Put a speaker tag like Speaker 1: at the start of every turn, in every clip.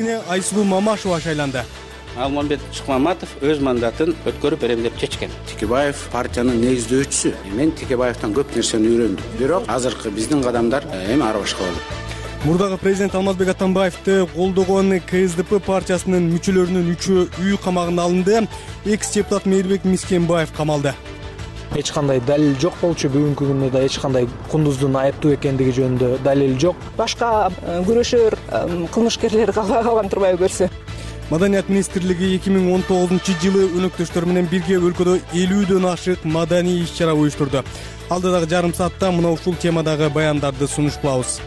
Speaker 1: президентине Айсулуу Мамашева шайланды.
Speaker 2: Алмамбет Шыкмаматов өз мандатын өткөрүп берем деп чечкен.
Speaker 3: Текебаев партиянын негиздөөчүсү. Мен Текебаевтан көп нерсени үйрөндүм. Бирок азыркы биздин кадамдар эми ара башка болот.
Speaker 1: Мурдагы президент Алмазбек Атамбаевди колдогон КСДП партиясынын мүчөлөрүнүн 3-өө үй камагына алынды. Экс-депутат Мейирбек Мискенбаев камалды.
Speaker 4: Эч кандай далил жок болчу. Бүгүнкү күндө да эч кандай Кундуздун айыптуу экендиги жөнүндө далил жок.
Speaker 5: Башка күрөшөр кылмышкерлер калган турбайбы көрсө.
Speaker 1: Маданият министрлиги 2019-жылы өнөктөштөр менен бирге өлкөдө 50дөн ашык маданий иш-чара уюштурду. Алдыдагы жарым саатта мына ушул темадагы баяндарды сунуш кылабыз.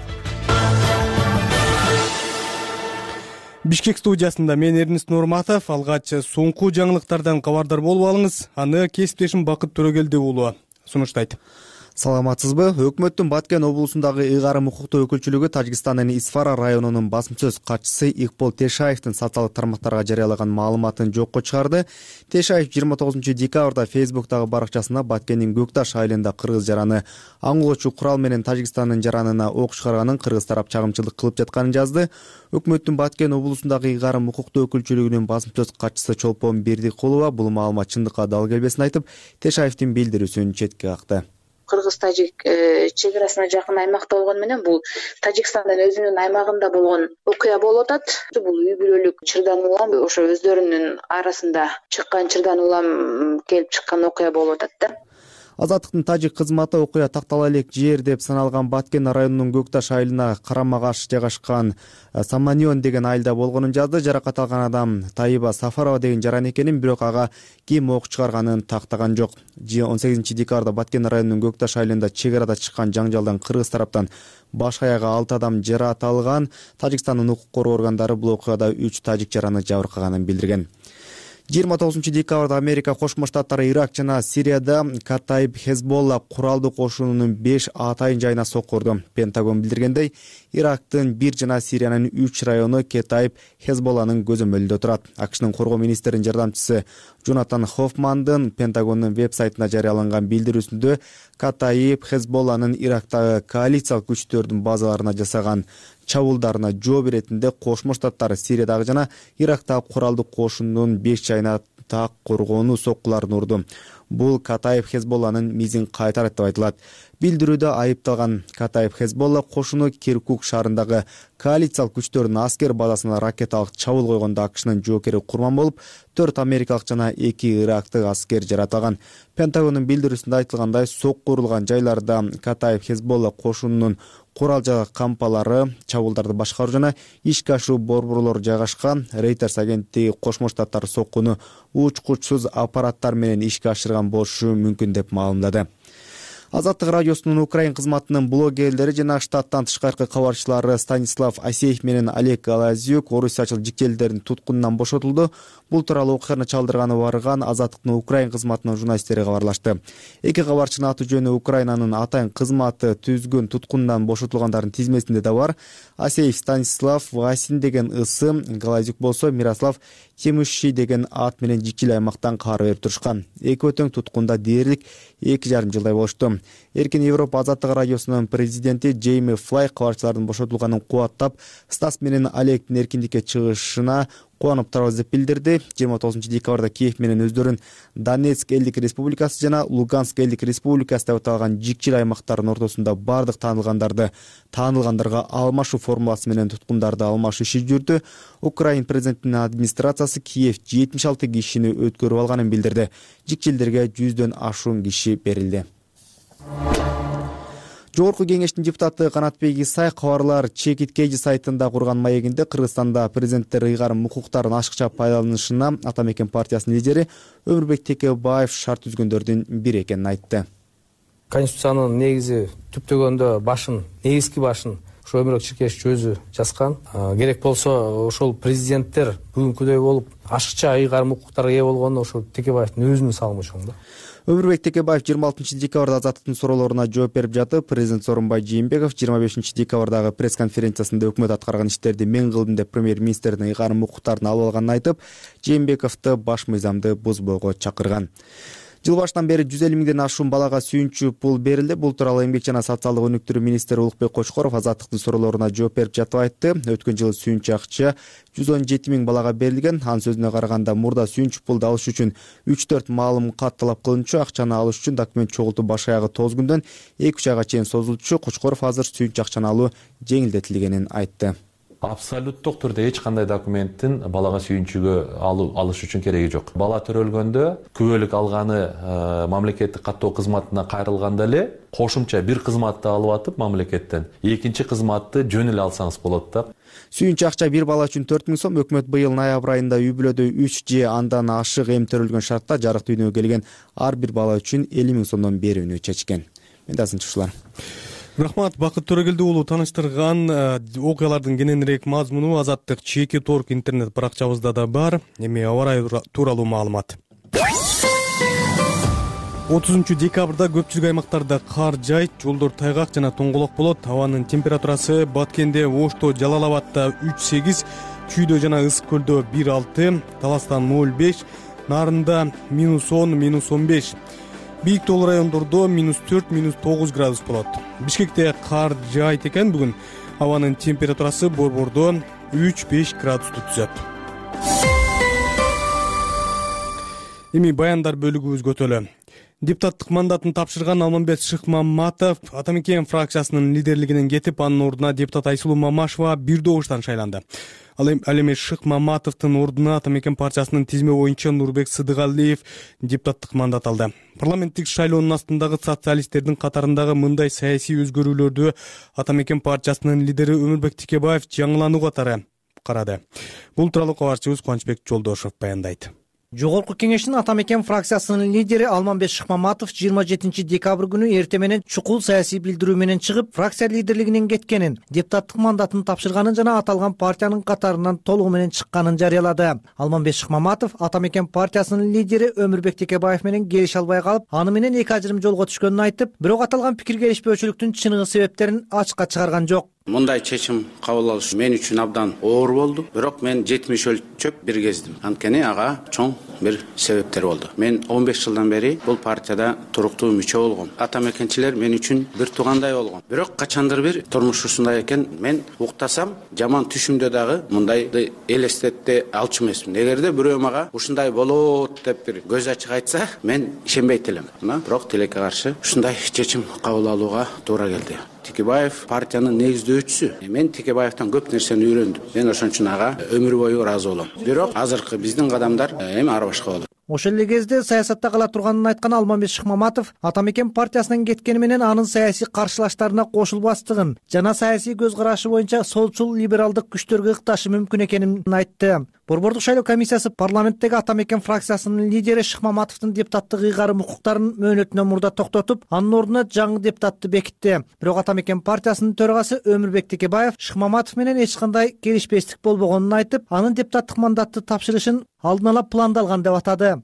Speaker 1: Бишкек студиясында мен Эрнест Нурматов. Алгач соңку жаңылыктардан кабардар болуп алыңыз. Аны кесиптешим Бакыт Төрөгелди уулу сунуштайт.
Speaker 6: Саламатсызбы? Өкмөттүн Баткен облусундагы ыйгарым укуктуу өкүлчүлүгү Тажикстандын Исфара районунун басым сөз катчысы Икбол Тешаевдин социалдык тармактарга жарыялаган маалыматын жокко чыгарды. Тешаев 29-декабрда Фейсбуктагы баракчасында Баткендин Көкташ айылында кыргыз жараны аңгылоочу курал менен Тажикстандын жаранына ок чыгарганын кыргыз тарап чагымчылык кылып жатканын жазды. Өкмөттүн Баткен облусундагы ыйгарым укуктуу өкүлчүлүгүнүн басым сөз катчысы Чолпон Бердикулова бул маалымат чындыкка дал келбесин айтып, Тешаевдин билдирүүсүн четке какты.
Speaker 7: Кыргыз-Тажик чек-арасына жакын аймакта болгону менен бул Тажикстандын өзүнүн аймагында болгон окуя болуп атат. Бул үй бүлөлүк чырдан улам ошо өздөрүнүн арасында чыккан чырдан улам келип чыккан окуя болуп атат да.
Speaker 6: Азаттыктын тажик кызматы окуя тактала элек жер деп саналган Баткен районунун Көкташ айылына карама-каршы жайгашкан Саманион деген айылда болгонун жазды. Жаракат алган адам Таиба Сафарова деген жаран экенин, бирок ага ким ок чыгарганын тактаган жок. 18-декабрда Баткен районунун Көкташ айылында чек арада чыккан жаңжалдан кыргыз тараптан баш аягы 6 адам жаракат алган. Тажикстандын укук коргоо органдары бул окуяда 3 тажик жараны жабыркаганын билдирген. 29-декабрда Америка Кошмо Штаттары Ирак жана Сирияда Катаиб Хезболла куралдуу кошунунун 5 атайын жайына соккурду. Пентагон билдиргендей, Ирактын 1 жана Сириянын 3 району Катаиб Хезболланын көзөмөлүндө турат. АКШнын коргоо министринин жардамчысы Джонатан Хоффмандын Пентагондун веб-сайтына жарыяланган билдирүүсүндө Катаиб Хезболланын Ирактагы коалициялык күчтөрдүн базаларына жасаган чабуулдарына жооп иретинде Кошмо Штаттар Сириядагы жана Ирактагы куралдуу кошундун 5 жайына так коргоонуу соккуларын урду. Бул Катаиб Хезболланын мизин кайтарат деп айтылат. Билдирүүдө айыпталган Катаиб Хезболла кошуну Киркук шаарындагы коалициялык күчтөрдүн аскер базасына ракеталык чабуул койгондо АКШнын жоокери курман болуп, 4 америкалык жана 2 ирактык аскер жаратылган. Пентагондун билдирүүсүндө айтылгандай, соккурулган жайларда Катаиб Хезболла кошунунун курал жабдык кампалары, чабуулдарды башкаруу жана ишке ашыруу борборлору жайгашкан. Reuters агенттиги Кошмо Штаттар соккуну учкучсуз аппараттар менен ишке ашырган болушу мүмкүн деп маалымдады. Азаттык радиосунун Украин кызматынын блогерлери жана штаттан тышкаркы кабарчылары Станислав Асеев менен Олег Галазюк орусиячыл жикчелдердин туткунунан бошотулду. Бул тууралуу окуяны чалдырганы барган Азаттыктын Украин кызматынын журналисттери кабарлашты. Эки кабарчынын аты жөнү Украинанын атайын кызматы түзгөн туткунунан бошотулгандардын тизмесинде да бар. Асеев Станислав Васин деген ысым, Галазюк болсо Мирослав Темуши деген ат менен жикчил аймактан кабар берип турушкан. Эки өтөң туткунда дээрлик 2,5 жылдай болушту. Эркин Европа Азаттык радиосунун президенти Джейми Флай кабарчылардын бошотулганын кубаттап, Стас менен Олегдин эркиндикке чыгышына кубанып турабыз деп билдирди. 29-декабрда Киев менен өздөрүн Донецк элдик республикасы жана Луганск элдик республикасы деп аталган жикчил аймактардын ортосунда бардык таанылгандарга алмашуу формуласы менен туткундарды алмашуу иши жүрдү. Украин президентинин администрациясы Киев 76 кишини өткөрүп алганын билдирди. Жикчилдерге 100дөн ашуун киши берилди. Жогорку кеңештин депутаты Канатбек Исай кабарлар Чекиткейжи сайтында курган маегинде Кыргызстанда президенттер ыйгарым укуктарын ашыкча пайдаланышына Атамекен партиясынын лидери Өмүрбек Текебаев шарт түзгөндөрдүн бири экенин айтты.
Speaker 4: Конституциянын негизи түптөгөндө негизги башын ошо Өмүрбек Чекешевич өзү жазган. Керек болсо ошол президенттер бүгүнкүдөй болуп ашыкча ыйгарым укуктарга ээ болгону ошол Текебаевдин өзүнүн салымы чоң да.
Speaker 6: Өмүрбек Текебаев 26-декабрда Азаттыктын суроолоруна жооп берип жатып, президент Сооронбай Жээнбеков 25-декабрдагы пресс-конференциясында өкмөт аткарган иштерди мен кылдым деп премьер-министрдин ыйгарым укуктарын алып алганын айтып, Жээнбековду баш мыйзамды бузбоого чакырган. Жыл башынан бери 150 миңден ашуун балага сүйүнчү пул берилди. Бул тууралуу Эмгек жана социалдык өнүктүрүү министри Улукбек Кочкоров азаттыктын суроолоруна жооп берип жатып айтты. Өткөн жылы сүйүнчү акча 117 миң балага берилген. Анын сөзүнө караганда мурда сүйүнчү пулду алыш үчүн 3-4 маалым кат талап кылынчу. Акчаны алыш үчүн документ чогултуу баш аягы 9 күндөн 2-3 айга чейин созулчу. Кочкоров азыр сүйүнчү акчаны алуу жеңилдетилгенин айтты.
Speaker 8: Абсолюттук түрдө эч кандай документтин балага сүйүнчүгө алыш үчүн кереги жок. Бала төрөлгөндө күбөлүк алганы мамлекеттик каттоо кызматына кайрылганда эле кошумча бир кызматты алып атып мамлекеттен экинчи кызматты жөн эле алсаңыз болот да.
Speaker 6: Сүйүнчү акча бир бала үчүн 4 миң сом. Өкмөт быйыл ноябрь айында үй бүлөдө 3 же андан ашык эм төрөлгөн шартта жарык дүйнөгө келген ар бир бала үчүн 50 миң сомдон берүүнү чечкен. Менде азынчылар.
Speaker 1: Рахмат, Бакыт Төрөгелди уулу тааныштырган окуялардын кененирээк мазмуну Азаттык чеки торг интернет баракчабызда да бар. Эми аба ырайы тууралуу маалымат. 30 декабрда көпчүлүк аймактарда кар жайт, жолдор тайгак жана тоңголок болот. Абанын температурасы Баткенде, Ошто, Жалал Абадда 3-8, Чүйдө жана Ысык көлдө 1-6, Таластан 0-5, Нарында -10, -15. Бийик тоолуу райондордо -4, -9 градус болот. Бишкекте кар жайт экен бүгүн. Абанын температурасы Борбордо 3-5 градусту түзөт. Эми баяндар бөлүгүбүзгө өтөлү. Депутаттык мандатын тапшырган Алмамбет Шыкмаматов Ата Мекен фракциясынын лидерлигинен кетип, анын ордуна депутат Айсулуу Мамашева бир добуштан шайланды. Ал эми Шыкмаматовдун ордуна Ата Мекен партиясынын тизме боюнча Нурбек Сыдыгалиев депутаттык мандат алды. Парламенттик шайлоонун астындагы социалисттердин катарындагы мындай саясий өзгөрүүлөрдү Ата Мекен партиясынын лидери Өмүрбек Текебаев жаңылануу катары карады. Бул тууралуу кабарчыбыз Кубанычбек Жолдошев баяндайт.
Speaker 9: Жогорку кеңештин Ата Мекен фракциясынын лидери Алмамбет Шыкмаматов 27 декабрь күнү эрте менен чукул саясий билдирүү менен чыгып, фракция лидерлигинен кеткенин, депутаттык мандатын тапшырганын жана аталган партиянын катарынан толугу менен чыкканын жарыялады. Алмамбет Шыкмаматов Ата Мекен партиясынын лидери Өмүрбек Текебаев менен келише албай калып, аны менен эки ажырым жолго түшкөнүн айтып, бирок аталган пикир келишпөөчүлүктүн чыныгы себептерин ачыкка чыгарган жок.
Speaker 3: Мындай чечим кабыл алыш мен үчүн абдан оор болду. Бирок мен 70 өлчөп бир кездим. Анткени ага чоң бир себептер болду. Мен 15 жылдан бери бул партияда туруктуу мүчө болгом. Ата Мекенчилер мен үчүн бир туугандай болгон. Бирок качандыр бир турмуш ушундай экен, мен уктасам жаман түшүмдө дагы мындайды элестете алчу эмесмин. Эгерде бирөө мага ушундай болот деп бир көз ачык айтса, мен ишенбейт элем. Бирок тилекке каршы ушундай чечим кабыл алууга туура келди. Текебаев партиянын негиздөөчүсү. Мен Текебаевтан көп нерсени үйрөндүм. Мен ошон үчүн ага өмүр бою ыраазы болом. Бирок азыркы биздин кадамдар эми ар башка болот.
Speaker 9: Ошол эле кезде саясатта кала турганын айткан Алмамбет Шыкмаматов Ата Мекен партиясынан кеткени менен анын саясий каршылаштарына кошулбастыгын жана саясий көз карашы боюнча солчул либералдык күчтөргө ыкташы мүмкүн экенин айтты. Борбордук шайлоо комиссиясы парламенттеги Ата Мекен фракциясынын лидери Шыкмаматовдун депутаттык ыйгарым укуктарын мөөнөтүнөн мурда токтотуп, анын ордуна жаңы депутатты бекитти. Бирок Ата Мекен партиясынын төрагасы Өмүрбек Текебаев Шыкмаматов менен эч кандай келишпестик болбогонун айтып, анын депутаттык мандатты тапшырышын алдын ала пландалган деп атады.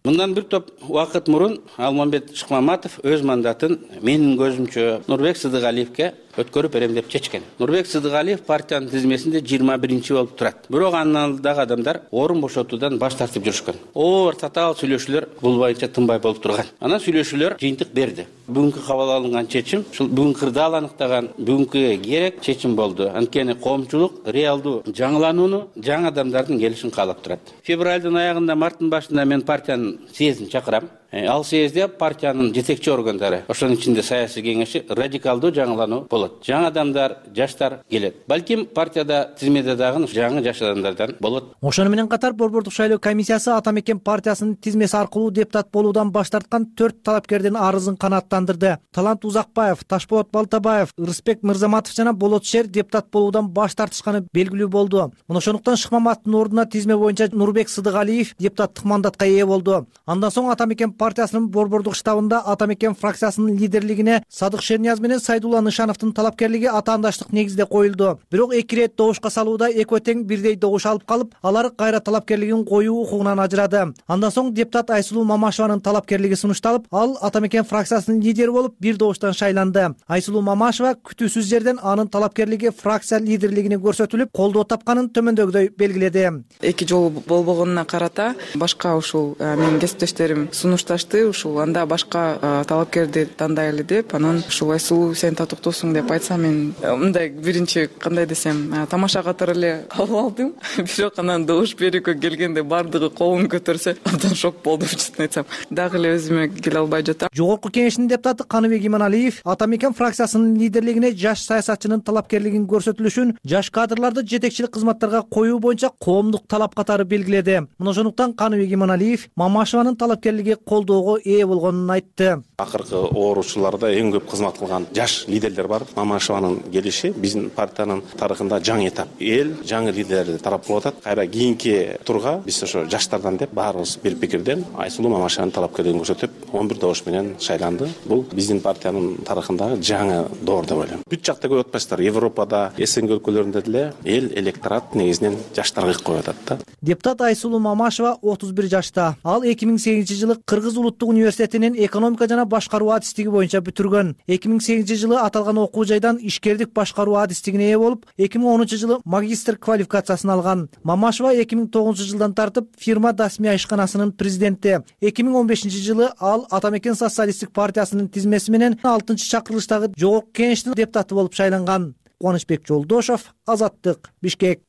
Speaker 2: Мындан бир топ убакыт мурун Алмамбет Шыкмаматов өз мандатын менин көзүмчө Нурбек Сыдыгалиевке өткөрүп берем деп чечкен. Нурбек Сыдыгалиев партиянын тизмесинде 21 болуп турат. Бирок анын алдындагы адамдар орун бошотуудан баш тартып жүрүшкөн. Оор татаал сүйлөшүүлөр бул боюнча тынбай болуп турган. Анан сүйлөшүүлөр жыйынтык берди. Бүгүнкү кабыл алынган чечим, ушул бүгүн кырдаал аныктаган бүгүнкү керек чечим болду. Анткени коомчулук реалдуу жаңыланууну, жаңы адамдардын келишин каалап турат. Февралдын аягында, марттын башында мен партиянын съездин чакырам. Ал съезде партиянын жетекчи органдары, ошонун ичинде саясий кеңеши радикалдуу жаңылануу болот. Жаңы адамдар, жаштар келет. Балким партияда тизмеде дагы жаңы жаш адамдардан болот.
Speaker 9: Ошону менен катар Борбордук шайлоо комиссиясы Ата Мекен партиясынын тизмеси аркылуу депутат болуудан баш тарткан 4 талапкердин арызын канааттандырды. Талант Узакбаев, Ташболот Балтабаев, Рыспек Мырзаматов жана Болот Шер депутат болуудан баш тартышканы белгилүү болду. Ошондуктан Шыкмаматовдун ордуна тизме боюнча Нурбек Сыдыгалиев депутаттык мандатка ээ болду. Андан соң Ата Мекен партиясынын борбордук штабында Ата Мекен фракциясынын лидерлигине Садык Шернияз менен Сайдулла Нышановдун талапкерлиги атаандаштык негизде коюлду. Бирок эки ирет добушка салууда экөө тең бирдей добуш алып калып, алар кайра талапкерлигин коюу укугунан ажырады. Андан соң депутат Айсулуу Мамашеванын талапкерлиги сунушталып, ал Ата Мекен фракциясынын лидери болуп бир добуштан шайланды. Айсулуу Мамашева күтүүсүз жерден анын талапкерлиги фракция лидерлигине көрсөтүлүп, колдоо тапканын төмөндөгүдөй белгиледи.
Speaker 10: Эки жолу болбогонуна карата башка ушул менин кесиптештерим сунуштар
Speaker 5: такташты, ушул анда башка талапкерди тандайлы деп, анан ушул Айсулуу сен татыктуусуң деп айтса, мен мындай биринчи кандай десем, тамаша катары эле кабыл алдым. Бирок анан добуш берүүгө келгенде бардыгы колун көтөрсө, абдан шок болдум, чын айтсам. Дагы эле өзүмө келе албай жатам.
Speaker 9: Жогорку кеңештин депутаты Каныбек Иманалиев Атамекен фракциясынын лидерлигине жаш саясатчынын талапкерлигин көрсөтүлүшүн жаш кадрларды жетекчилик кызматтарга коюу боюнча коомдук талап катары белгиледи. Мына ошондуктан Каныбек Иманалиев Мамашеванын талапкерлиги колдоого ээ болгонун айтты.
Speaker 10: Акыркы ооручуларда эң көп кызмат кылган жаш лидерлер бар. Мамашеванын келиши биздин партиянын тарыхында жаңы этап. Эл жаңы лидерлерди тарап кылып атат. Кайра кийинки турга биз ошо жаштардан деп баарыбыз бир пикирден Айсулуу Мамашеванын талапкерлигин көрсөтүп 11 добуш менен шайланды. Бул биздин партиянын тарыхындагы жаңы доор деп ойлойм. Бүт жакта көрүп атпайсыздар, Европада, СНГ өлкөлөрүндө деле эл электорат негизинен жаштарга коюп атат да.
Speaker 9: Депутат Айсулуу Мамашева 31 жашта. Ал 2008-жылы Кыргыз улуттук университетинин экономика жана башкаруу адистиги боюнча бүтүргөн. 2008-жылы аталган окуу жайдан ишкердик башкаруу адистигине ээ болуп, 2010-жылы магистр квалификациясын алган. Мамашева 2009-жылдан тартып фирма Дасмия ишканасынын президенти. 2015-жылы ал Атамекен социалисттик партиясынын тизмеси менен 6-чакырылыштагы жогорку кеңештин депутаты болуп шайланган. Кубанычбек Жолдошов, Азаттык, Бишкек.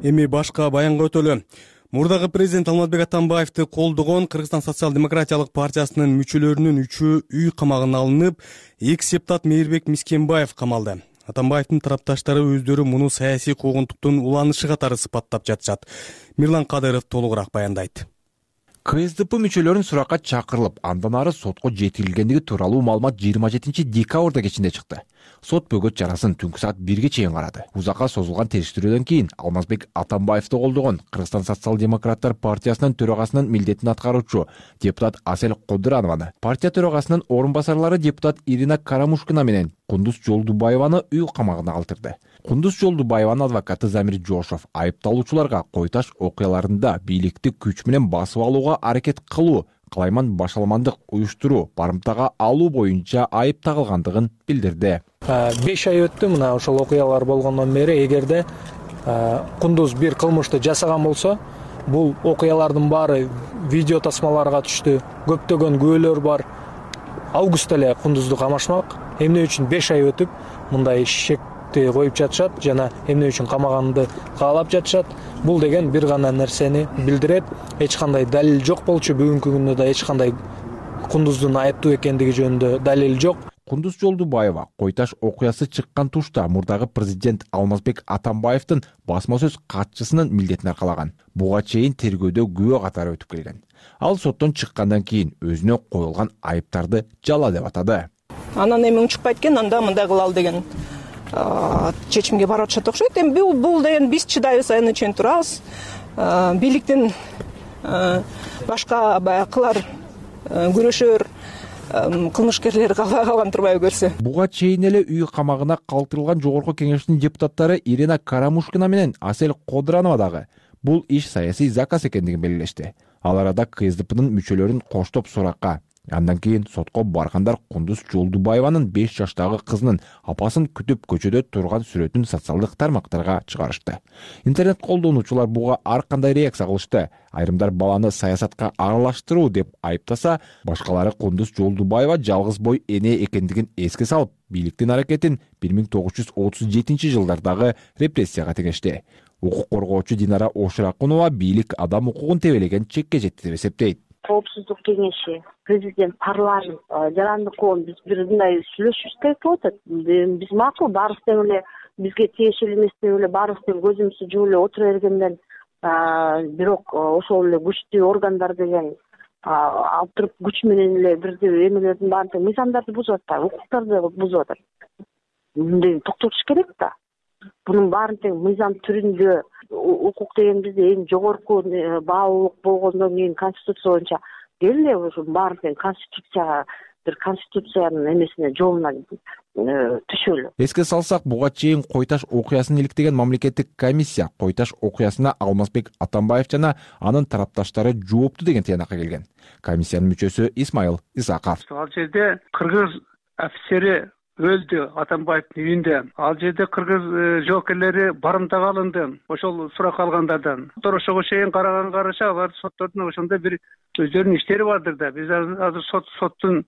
Speaker 1: Эми башка баянга өтөлү. Мурдагы президент Алмазбек Атамбаевди колдогон Кыргызстан социал-демократиялык партиясынын мүчөлөрүнүн 3-ü үй камагына алынып, экс-депутат Мейирбек Мискенбаев камалды. Атамбаевдин тарапташтары өздөрү муну саясий куугунтуктун уланышы катары сыпаттап жатышат. Мирлан Кадыров толугураак баяндайт.
Speaker 11: КСДП мүчөлөрүн суракка чакырылып, андан ары сотко жеткирилгендиги тууралуу маалымат 27 декабрда кечинде чыкты. Сот бөгөт чарасын түнкү саат 1ге чейин карады. Узакка созулган териштирүүдөн кийин Алмазбек Атамбаевди колдогон Кыргызстан социал-демократтар партиясынын төрагасынын милдетин аткаруучу депутат Асель Кодыранованы, партия төрагасынын орун басарлары депутат Ирина Карамушкина менен Кундуз Жолдубаеваны үй камагына калтырды. Кундуз Жолдубаеванын адвокаты Замир Жошов айыпталуучуларга Кой-Таш окуяларында бийликти күч менен басып алууга аракет кылуу, кылайман башаламандык уюштуруу, барымтага алуу боюнча айып тагылгандыгын билдирди.
Speaker 4: 5 ай өттү мына ошол окуялар болгондон бери. Эгерде Кундуз бир кылмышты жасаган болсо, бул окуялардын баары видео тасмаларга түштү. Көптөгөн күбөлөр бар. Августта эле Кундузду камашмак. Эмне үчүн 5 ай өтүп мындай шекти коюп жатышат жана эмне үчүн камаганды каалап жатышат. Бул деген бир гана нерсени билдирет. Эч кандай далил жок болчу. Бүгүнкү күндө да эч кандай Кундуздун айыптуу экендиги жөнүндө далил жок.
Speaker 11: Кундуз Жолдубаева Кой-Таш окуясы чыккан тушта мурдагы президент Алмазбек Атамбаевдин басма сөз катчысынын милдетин аркалаган. Буга чейин тергөөдө күбө катары өтүп келген. Ал соттон чыккандан кийин өзүнө коюлган айыптарды жала деп атады.
Speaker 5: Анан эми унчукпайт экен, анда мындай кылалы деген чечимге барып атышат окшойт. Эми бул деген биз чыдайбыз, аны үчүн турабыз. Бийликтин башка баягылар күрөшөр кылмышкерлер калган турбайбы көрсө.
Speaker 11: Буга чейин эле үй камагына калтырылган жогорку кеңештин депутаттары Ирина Карамушкина менен Асель Кодыранова дагы бул иш саясий заказ экендигин белгилешти. Ал арада КСДПнын мүчөлөрүн коштоп суракка, андан кийин сотко баргандар Кундуз Жолдубаеванын 5 жаштагы кызынын апасын күтүп көчөдө турган сүрөтүн социалдык тармактарга чыгарышты. Интернет колдонуучулар буга ар кандай реакция кылышты. Айрымдар баланы саясатка аралаштыруу деп айыптаса, башкалары Кундуз Жолдубаева жалгыз бой эне экендигин эске салып, бийликтин аракетин 1937-жылдардагы репрессияга теңешти. Укук коргоочу Динара Оширакунова бийлик адам укугун тебелеген чекке жетти деп эсептейт.
Speaker 12: Коопсуздук кеңеши, президент, парламент, жарандык коом биз бир мындай сүйлөшүш керек болуп атат. Биз макул баарыбыз тең эле бизге тиешелүү эмес деп эле баарыбыз тең көзүмүздү жууп эле отура бергенден, бирок ошол эле күчтүү органдар деген алып туруп күч менен эле бирдей эмелердин баарын тең мыйзамдарды бузуп атат, укуктарды бузуп атат. Мындай токтотуш керек да. Bunun баарын тең мыйзам түрүндө укук деген бизде эң жогорку баалуулук болгондон кийин конституция боюнча эле ошо баарын тең конституцияга бир конституциянын эмесине жолуна түшөлү.
Speaker 11: Эске салсак, буга чейин Кой-Таш окуясын иликтеген мамлекеттик комиссия Кой-Таш окуясына Алмазбек Атамбаев жана анын тарапташтары жоопту деген тыянакка келген. Комиссиянын мүчөсү Исмайыл Исаков.
Speaker 13: Ал жерде кыргыз офицери өлдү Атамбаевдин үйүндө. Ал жерде кыргыз жоокерлери барымтага алынды ошол суракка алгандардан. Ошого чейин караган караша алар соттордун ошондой бир өздөрүнүн иштери бардыр да. Биз азыр соттун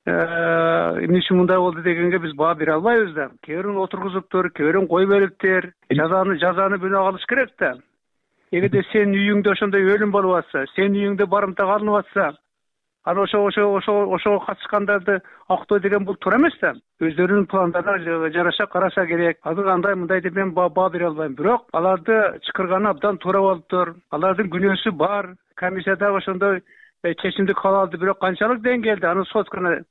Speaker 13: эмне үчүн мындай болду дегенге биз баа бере албайбыз да. Кээ бирин отургузуптур, кээ бирин кой бериптир. Жазаны бирөө алыш керек да. Эгерде сенин үйүңдө ошондой өлүм болуп атса, сенин үйүңдө барымтага алынып атса, аны ошого катышкандарды актоо деген бул туура эмес да. Өздөрүнүн пландарына жараша караша керек. Азыр андай мындай деп мен баа бере албайм. Бирок аларды чакырганы абдан туура болуптур. Алардын күнөөсү бар. Комиссияда ошондой чечимди кабыл алды. Бирок канчалык деңгээлде аны сот гана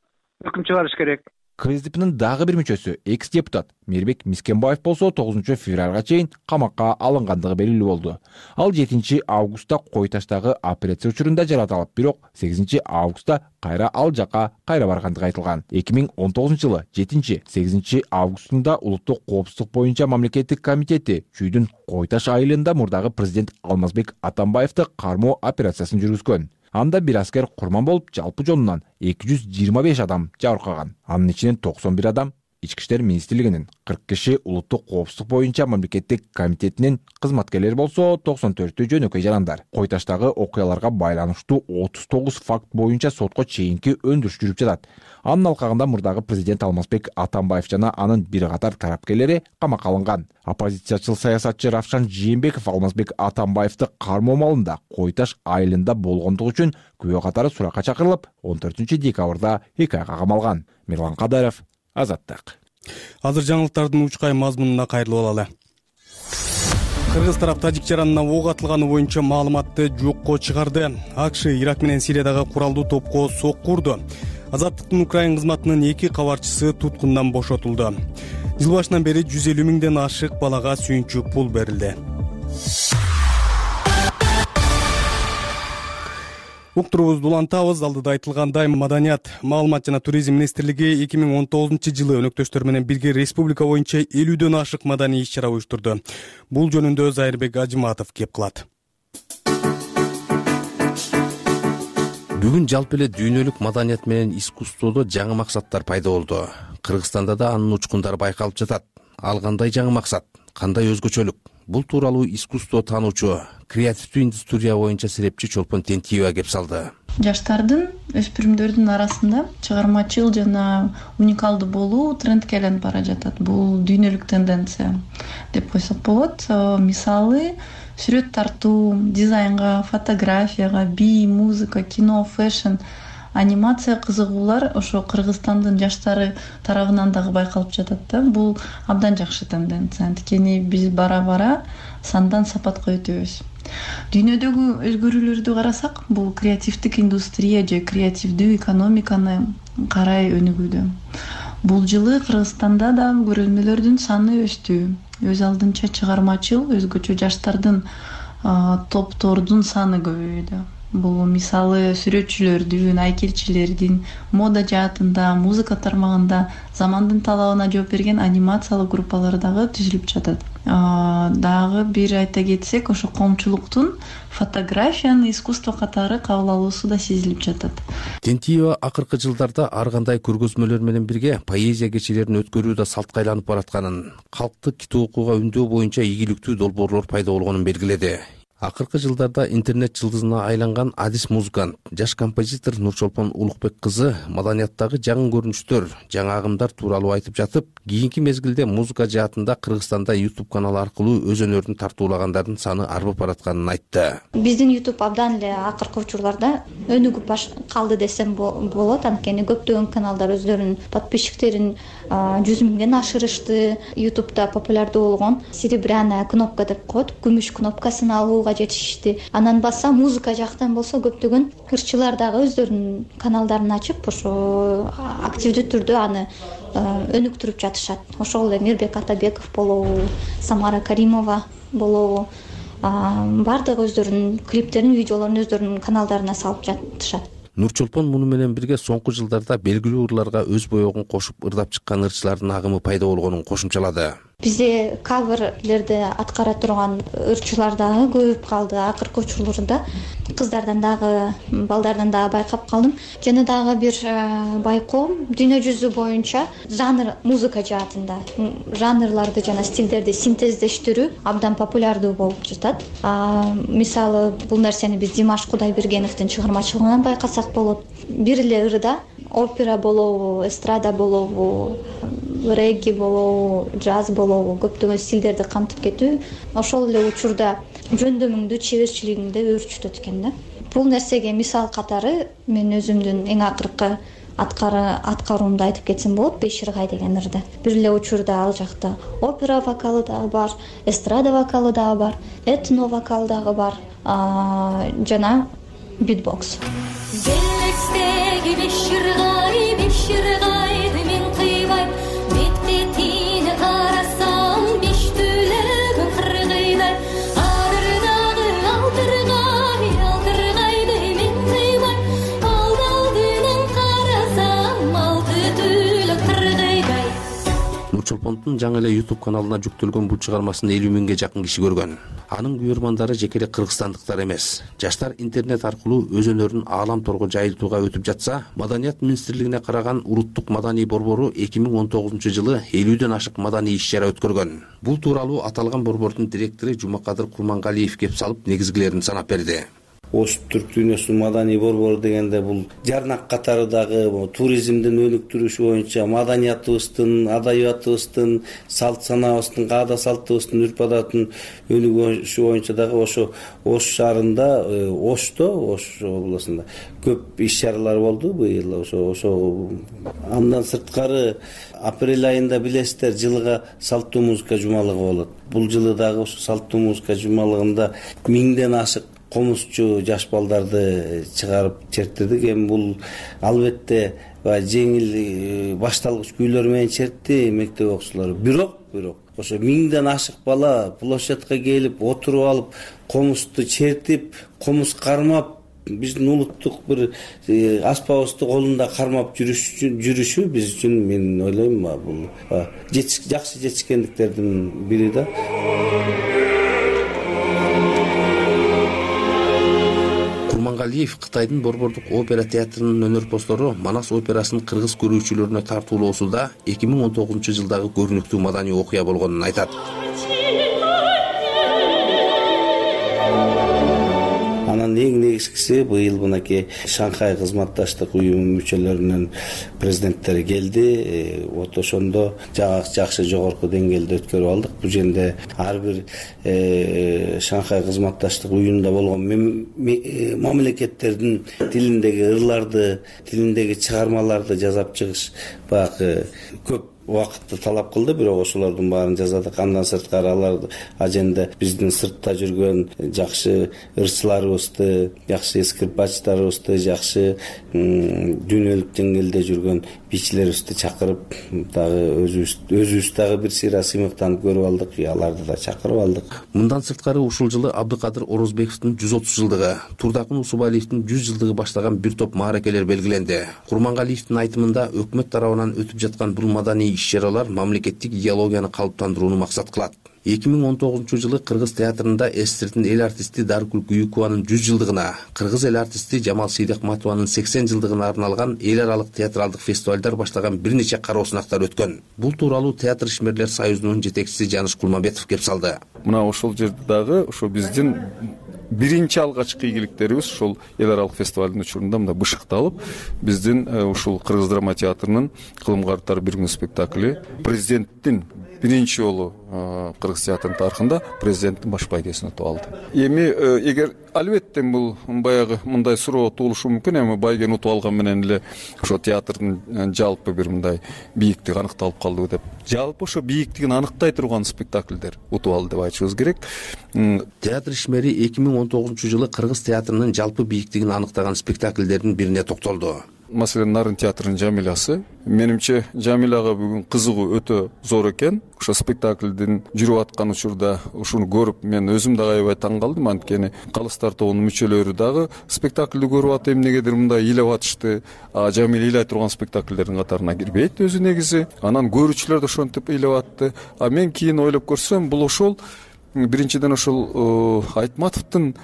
Speaker 13: өкүм чыгарыш керек.
Speaker 11: КСДПнын дагы бир мүчөсү, экс-депутат Мээрбек Мискенбаев болсо 9 февралга чейин камакка алынгандыгы белгилүү болду. Ал 7 августта Кой Таштагы операция учурунда жаратылып, бирок 8 августта кайра ал жака кайра баргандыгы айтылган. 2019 жылы 7-8 августунда Улуттук коопсуздук боюнча мамлекеттик комитети Чүйдүн Кой Таш айылында мурдагы президент Алмазбек Атамбаевди кармоо операциясын жүргүзгөн. Анда бир аскер курман болуп, жалпы жонунан 225 адам жабыркаган. Анын ичинен 91 адам Ички иштер министрлигинин, 40 киши Улуттук коопсуздук боюнча мамлекеттик комитетинин кызматкерлери болсо, 94 жөнөкөй жарандар. Кой Таштагы окуяларга байланыштуу 39 факт боюнча сотко чейинки өндүрүш жүрүп жатат. Анын алкагында мурдагы президент Алмазбек Атамбаев жана анын бир катар тарапкерлери камакка алынган. Оппозициячыл саясатчы Равшан Жээнбеков Алмазбек Атамбаевди кармоо маалында Кой Таш айылында болгондугу үчүн күбө катары суракка чакырылып, 14 декабрда 2 айга камалган. Мирлан Кадаров, Азаттык.
Speaker 1: Азыр жаңылыктардын учкай мазмунуна кайрылып алалы. Кыргыз тарап тажик жаранына ок атылганы боюнча маалыматты жокко чыгарды. АКШ Ирак менен Сириядагы куралдуу топко сокку урду. Азаттыктын Украин кызматынын 2 кабарчысы туткундан бошотулду. Жыл башынан бери 150 миңден ашык балага сүйүнчү пул берилди. Уктурубузду улантабыз. Алдыда айтылгандай, Маданият, маалымат жана туризм министрлиги 2019 жылы өнөктөштөр менен бирге республика боюнча 50дөн ашык маданий иш-чара уюштурду. Бул жөнүндө Зайырбек Ажыматов кеп кылат.
Speaker 14: Бүгүн жалпы эле дүйнөлүк маданият менен искусстводо жаңы максаттар пайда болду. Кыргызстанда да анын учкундары байкалып жатат. Ал кандай жаңы максат, кандай өзгөчөлүк? Бул тууралуу искусство таануучу, креативдүү индустрия боюнча серепчи Чолпон Тентиева кеп салды.
Speaker 15: Жаштардын, өспүрүмдөрдүн арасында чыгармачыл жана уникалдуу болуу трендке айланып бара жатат. Бул дүйнөлүк тенденция деп койсок болот. Мисалы, сүрөт тартуу, дизайнга, фотографияга, би, музыка, кино, фэшн, анимация кызыгуулар ошо Кыргызстандын жаштары тарабынан дагы байкалып жатат да. Бул абдан жакшы тенденция. Анткени биз бара-бара сандан сапатка өтөбүз. Дүйнөдөгү өзгөрүүлөрдү карасак, бул креативдик индустрия же креативдүү экономиканы карай өнүгүүдө. Бул жылы Кыргызстанда да көрөлмөлөрдүн саны өстү. Өз алдынча чыгармачыл, өзгөчө жаштардын топтордун саны көбөйдү. Бул мисалы сүрөтчүлөрдүн, айкелчилердин, мода жаатында, музыка тармагында замандын талабына жооп берген анимациялык группалар дагы түзүлүп жатат. Дагы бир айта кетсек, ошо коомчулуктун фотографияны искусство катары кабыл алуусу да сезилип жатат.
Speaker 14: Тентиева акыркы жылдарда ар кандай көргөзмөлөр менен бирге поэзия кечелерин өткөрүү да салтка айланып баратканын, калктык китеп окууга үндөө боюнча ийгиликтүү долбоорлор пайда болгонун белгиледи. Акыркы жылдарда интернет жылдызына айланган адис музыкант, жаш композитор Нурчолпон Улукбек кызы маданияттагы жаңы көрүнүштөр, жаңы агымдар тууралуу айтып жатып, кийинки мезгилде музыка жаатында Кыргызстанда YouTube каналы аркылуу өз өнөрүн тартуулагандардын саны арбып баратканын айтты.
Speaker 16: Биздин YouTube абдан эле акыркы учурларда өнүгүп калды десем болот, анткени көптөгөн каналдар өздөрүнүн подписчиктерин 100 миңден ашырышты. YouTube'да популярдуу болгон серебряная кнопка деп коет, күмүш кнопкасын алууга жетишти. Анан баса музыка жактан болсо көптөгөн ырчылар дагы өздөрүнүн каналдарын ачып, ошо активдүү түрдө аны өнүктүрүп жатышат. Ошол эле Мирбек Атабеков болобу, Самара Каримова болобу, бардыгы өздөрүнүн клиптерин, видеолорун өздөрүнүн каналдарына салып жатышат.
Speaker 14: Нурчолпон муну менен бирге соңку жылдарда белгилүү ырларга өз боегун кошуп ырдап чыккан ырчылардын агымы пайда болгонун кошумчалады.
Speaker 16: Бизде каверлерди аткара турган ырчылар дагы көбөйүп калды. Акыркы учурларда кыздардан дагы, балдардан дагы байкап калдым. Жана дагы бир байкоом дүйнө жүзү боюнча жанр музыка жаатында жанрларды жана стилдерди синтездештирүү абдан популярдуу болуп жатат. Мисалы, бул нерсени биз Димаш Кудайбергеновдин чыгармачылыгынан байкасак болот. Бир эле ырда опера болобу, эстрада болобу, регги болобу, джаз болобу, көптөгөн стилдерди камтып кетүү ошол эле учурда жөндөмүңдү, чеберчилигиңди өөрчүтөт экен да. Бул нерсеге мисал катары мен өзүмдүн эң акыркы аткаруумду айтып кетсем болот. Беширгай деген ырда. Бир эле учурда ал жакта опера вокалы дагы бар, эстрада вокалы дагы бар, этно вокал дагы бар, жана битбокс. Беширгайды мен кыйбайм, бет-бетине карасам, беш түлөгү кыргыйдай. Адырдагы алтыргайды мен кыйбайм, алдынан карасам, алты түлөк кыргыйдай.
Speaker 14: Нурчолпондун жаңы эле YouTube каналына жүктөлгөн бул чыгармасын 50 миңге жакын киши көргөн. Анын күйөрмандары жеке эле кыргызстандыктар эмес. Жаштар интернет аркылуу өз өнөрүн аалам торго жайылтууга өтүп жатса, Маданият министрлигине караган Улуттук маданий борбору 2019-жылы 50дөн ашык маданий иш-чара өткөргөн. Бул тууралуу аталган борбордун директору Жумакадыр Курмангалиев кеп салып негизгилерин санап берди.
Speaker 17: Ош Түрк дүйнөсүнүн маданий борбору дегенде бул жарнак катары дагы туризмдин өнүктүрүшү боюнча маданиятыбыздын, адабиятыбыздын, салт санаабыздын, каада салтыбыздын, үрп-адатын өнүгүшү боюнча дагы ошо Ош шаарында, Ошто, Ош областында көп иш-чаралар болду быйыл. Ошо андан сырткары апрель айында билесиздер, жылга салттуу музыка жумалыгы болот. Бул жылы дагы ошо салттуу музыка жумалыгында 1000ден ашык комузчу жаш балдарды чыгарып чертирдик. Эми бул албетте жеңил башталгыч күйлөр менен чертти мектеп окуучулары. Бирок ошо 1000ден ашык бала площадка келип, отуруп алып, комузду чертип, комуз кармап, биздин улуттук бир аспабыбызды колунда кармап жүрүшү биз үчүн, мен ойлойм, бул жакшы жетишкендиктердин бири да.
Speaker 14: Курмангалиев Кытайдын борбордук опера театрынын өнөрпоздору Манас операсын кыргыз көрүүчүлөрүнө тартуулоосунда 2019-жылдагы көрүнүктүү маданий окуя болгонун айтат.
Speaker 17: Анан эң негизгиси быйыл мынакей Шанхай кызматташтык уюму мүчөлөрүнүн президенттери келди. Вот ошондо жакшы жогорку деңгээлде өткөрүп алдык. Бул жерде ар бир Шанхай кызматташтык уюмунда болгон мамлекеттердин тилиндеги ырларды, тилиндеги чыгармаларды жасап чыгыш баягы көп убакытты талап кылды, бирок ошолордун баарын жасадык. Андан сырткары алар аженде биздин сыртта жүргөн жакшы ырчыларыбызды, жакшы скрипачтарыбызды, жакшы дүйнөлүк деңгээлде жүргөн бийчилерибизди чакырып, дагы өзүбүз дагы бир сыйра сыймыктанып көрүп алдык, аларды да чакырып алдык.
Speaker 14: Мындан сырткары ушул жылы Абдыкадыр Орозбековдун 130 жылдыгы, Турдакын Усубалиевдин 100 жылдыгы баштаган бир топ мааракелер белгиленди. Курмангалиевдин айтымында өкмөт тарабынан өтүп жаткан бул маданий иш-чаралар мамлекеттик идеологияны калыптандырууну максат кылат. 2019-жылы Кыргыз театрында СССРдин эл артисти Даркүл Күйүкованын 100 жылдыгына, Кыргыз эл артисти Жамал Сейдакматованын 80 жылдыгына арналган эл аралык театралдык фестивалдар баштаган бир нече кароо сынактар өткөн. Бул тууралуу Театр ишмерлер союзунун жетекчиси Жаныш Кулманбетов кеп салды.
Speaker 18: Мына ошол жерде дагы ошо биздин биринчи алгачкы ийгиликтерибиз ошол эл аралык фестивалдын учурунда мында бышыкталып, биздин ушул Кыргыз драма театрынын кылым карттар бир күн спектакли президенттин биринчи жолу Кыргыз театрынын тарыхында президенттин баш байгесин утуп алды. Эми эгер албетте бул баягы мындай суроо туулушу мүмкүн, эми байгени утуп алган менен эле ошо театрдын жалпы бир мындай бийиктиги аныкталып калдыбы деп. Жалпы ошо бийиктигин аныктай турган спектакльдер утуп алды деп айтышыбыз керек.
Speaker 14: Театр ишмери 2019-жылы Кыргыз театрынын жалпы бийиктигин аныктаган спектакльдердин бирине токтолду.
Speaker 18: маселен Нарын театрынын Жамилясы. Менимче Жамиляга бүгүн кызыгуу өтө зор экен. Ошо спектаклдин жүрүп аткан учурда ушуну көрүп мен өзүм дагы аябай таң калдым. Анткени Калыстар тобунун мүчөлөрү дагы спектаклди көрүп атып эмнегедир мындай ыйлап атышты. Жамиля ыйлай турган спектаклдердин катарына кирбейт өзү негизи. Анан көрүүчүлөр да ошентип ыйлап атты. Мен кийин ойлоп көрсөм, бул ошол биринчиден ошол Айтматовдун